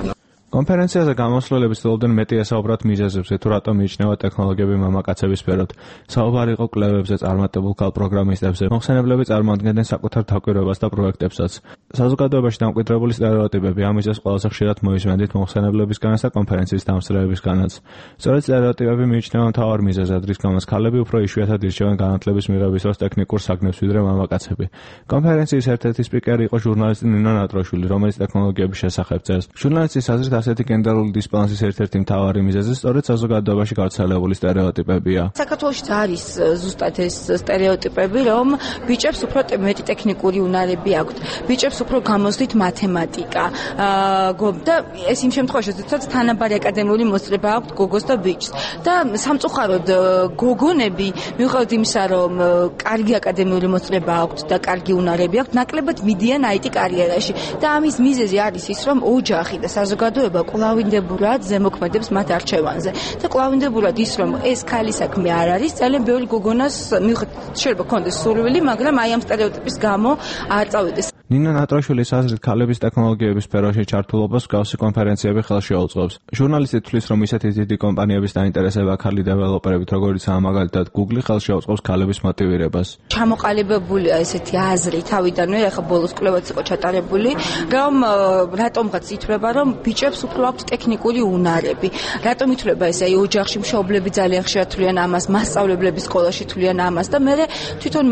კონფერენციაზე გამოსვლელები ცდილობდნენ მეტი ესაუბრათ მიზეზებზე, თუ რატომ მიიჩნევა ტექნოლოგიები მამაკაცების სფეროთ. საუბარი იყო კვლევებზე, წარმატებულ ქალ პროგრამისტებზე. მოხსენებლები წარმოადგენდნენ საკუთარ დაკვირვებას და პროექტებსაც. საზოგადოებაში დამკვიდრებული სტერეოტიპები ამ მიზეზს ყველაზე ხშირად მოისმენდით მოხსენებლებისგანაც და კონფერენციის დამსწრეებისგანაც. სწორედ სტერეოტიპები მიიჩნევა მთავარ მიზეზად, რის გამოც ქალები უფრო იშვიათად ირჩევენ განათლების მიღების დროს ტექნიკურ საგნებს ვიდრე მამაკაცები. კონფერენციის ერთ-ერთი სპიკერი იყო ჟურნალისტი ნინა ნატროშვილი, რომელიც ტექნოლოგიების შესახებ წერს. ჟურნალისტის აზრით ასეთი გენდერული დისბალანსის ერთ-ერთი მთავარი მიზეზი სწორედ საზოგადოებაში გავრცელებული სტერეოტიპებია. საქართველოში არის ზუსტად ეს სტერეოტიპები, რომ ბიჭებს უფრო მეტი ტექნიკური უნარები აქვთ. ბიჭებს უფრო გამოსდით მათემატიკა. და ეს იმ შემთხვევაში, როდესაც თანაბარი აკადემიური მოსწრება აქვთ გოგოს და ბიჭს. და სამწუხაროდ გოგონები, მიუხედავად იმისა, რომ კარგი აკადემიური მოსწრება აქვთ და კარგი უნარები აქვთ, ნაკლებად მიდიან აი ტი კარიერაში. და ამის მიზეზი არის ის, რომ ოჯახი და საზოგადოება ეხება კვლავინდებურად ზემოქმედებს მათ არჩევანზე და კვლავინდებურად ის რომ ეს ქალის საქმე არ არის ძალიან ბევრი გოგონას მიუხედავად შეიძლება კონდეს სურვილი მაგრამ აი ამ სტერეოტიპის გამო არ წავიდეს. ნინა ნატრაშვილის აზრით ქალების ტექნოლოგიების სფეროში ჩართულობას მსგავსი კონფერენციები ხელს შეუწყობს. ჟურნალისტი თვლის რომ ისეთი დიდი კომპანიების დაინტერესება ქალი დეველოპერებით როგორიცაა მაგალითად Google ხელს შეუწყობს ქალების მოტივირებას. ჩამოყალიბებულია ესეთი აზრი თავიდანვე ახლა ბოლოს კვლევაც იყო ჩატარებული რომ რატომღაც ითვლება რომ ბიჭებს უფრო აქვს ტექნიკური უნარები. რატომ ითვლება ესე აი ოჯახში მშობლები ძალიან ხშირად თვლიან ამას, მასწავლებლები სკოლაში თვლიან ამას და მე თვითონ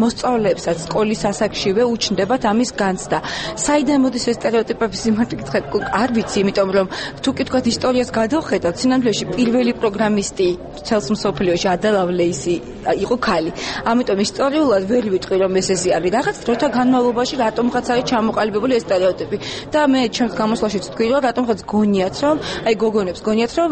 მოსწავლეებსაც სკოლის ასაკშივე უჩნდებათ ამის განცდა. საიდან მოდის ეს სტერეოტიპების იმარტი კითხეთ არ ვიცი, იმიტომ რომ თუ კი თქვათ ისტორიას გადავხედავთ, სინამდვილეში პირველი პროგრამისტი ცელს მსოფლიოში ადა ლავლეისი იყო ქალი. ამიტომ ისტორიულად ვერ ვიტყვი რომ ეს ესე არის. რაღაც დროთა განმავლობაში რატომღაც არის ჩამოყალიბებული ეს სტერეოტიპი. და მე ჩემს გამოსვლაშიც თქვი რომ რატომღაც გონიათ რომ აი გოგონებს გონიათ რომ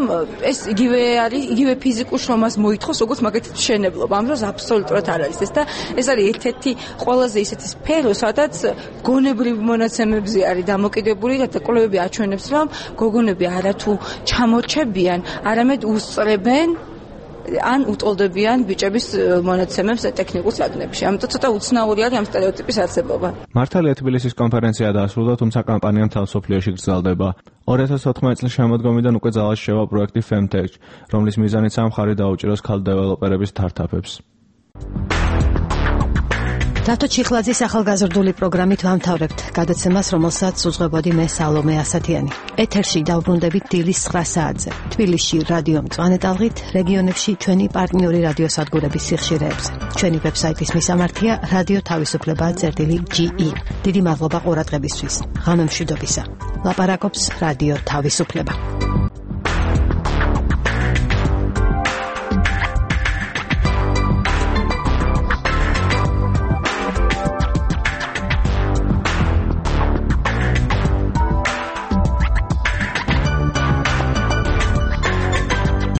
ეს იგივე არის, იგივე ფიზიკურ შრომას მოითხოვს, როგორც მაგათი მშენებლობა. ამ დროს აბსოლუტურად არ არის ეს და ეს არის ერთ-ერთი ყველაზე ისეთი სფერო, სადაც გონებრივ მონაცემებზე არის დამოკიდებული და კვლევები აჩვენებს რომ გოგონები არათუ ჩამორჩებიან, არამედ უსწრებენ ან უტოლდებიან ბიჭების მონაცემებს ტექნიკურ საგნებში. ამიტომ ცოტა უცნაური არის ამ სტერეოტიპის არსებობა. მართალია თბილისის კონფერენცია დაასრულა, თუმცა კამპანია მთელ მსოფლიოში გრძელდება. ორი ათას ოთხმოცი წლის შემოდგომიდან უკვე ძალაში შევა პროექტი Femtech, რომლის მიზანიცაა მხარი დაუჭიროს ქალ დეველოპერების სტარტაპებს. დათო ჩიხლაძის ახალგაზრდული პროგრამით ვამთავრებთ გადაცემას, რომელსაც უძღვებოდი მე სალომე ასათიანი. ეთერში დავბრუნდებით დილის ცხრა საათზე. თბილისში რადიო მწვანე ტალღით, რეგიონებში ჩვენი პარტნიორი რადიოსადგურების სიხშირეებზე. ჩვენი ვებსაიტის მისამართია რადიო თავისუფლება წერტილი ჯი ი. დიდი მადლობა ყურადღებისთვის. ღამემშვიდობისა. ლაპარაკობს რადიო თავისუფლება.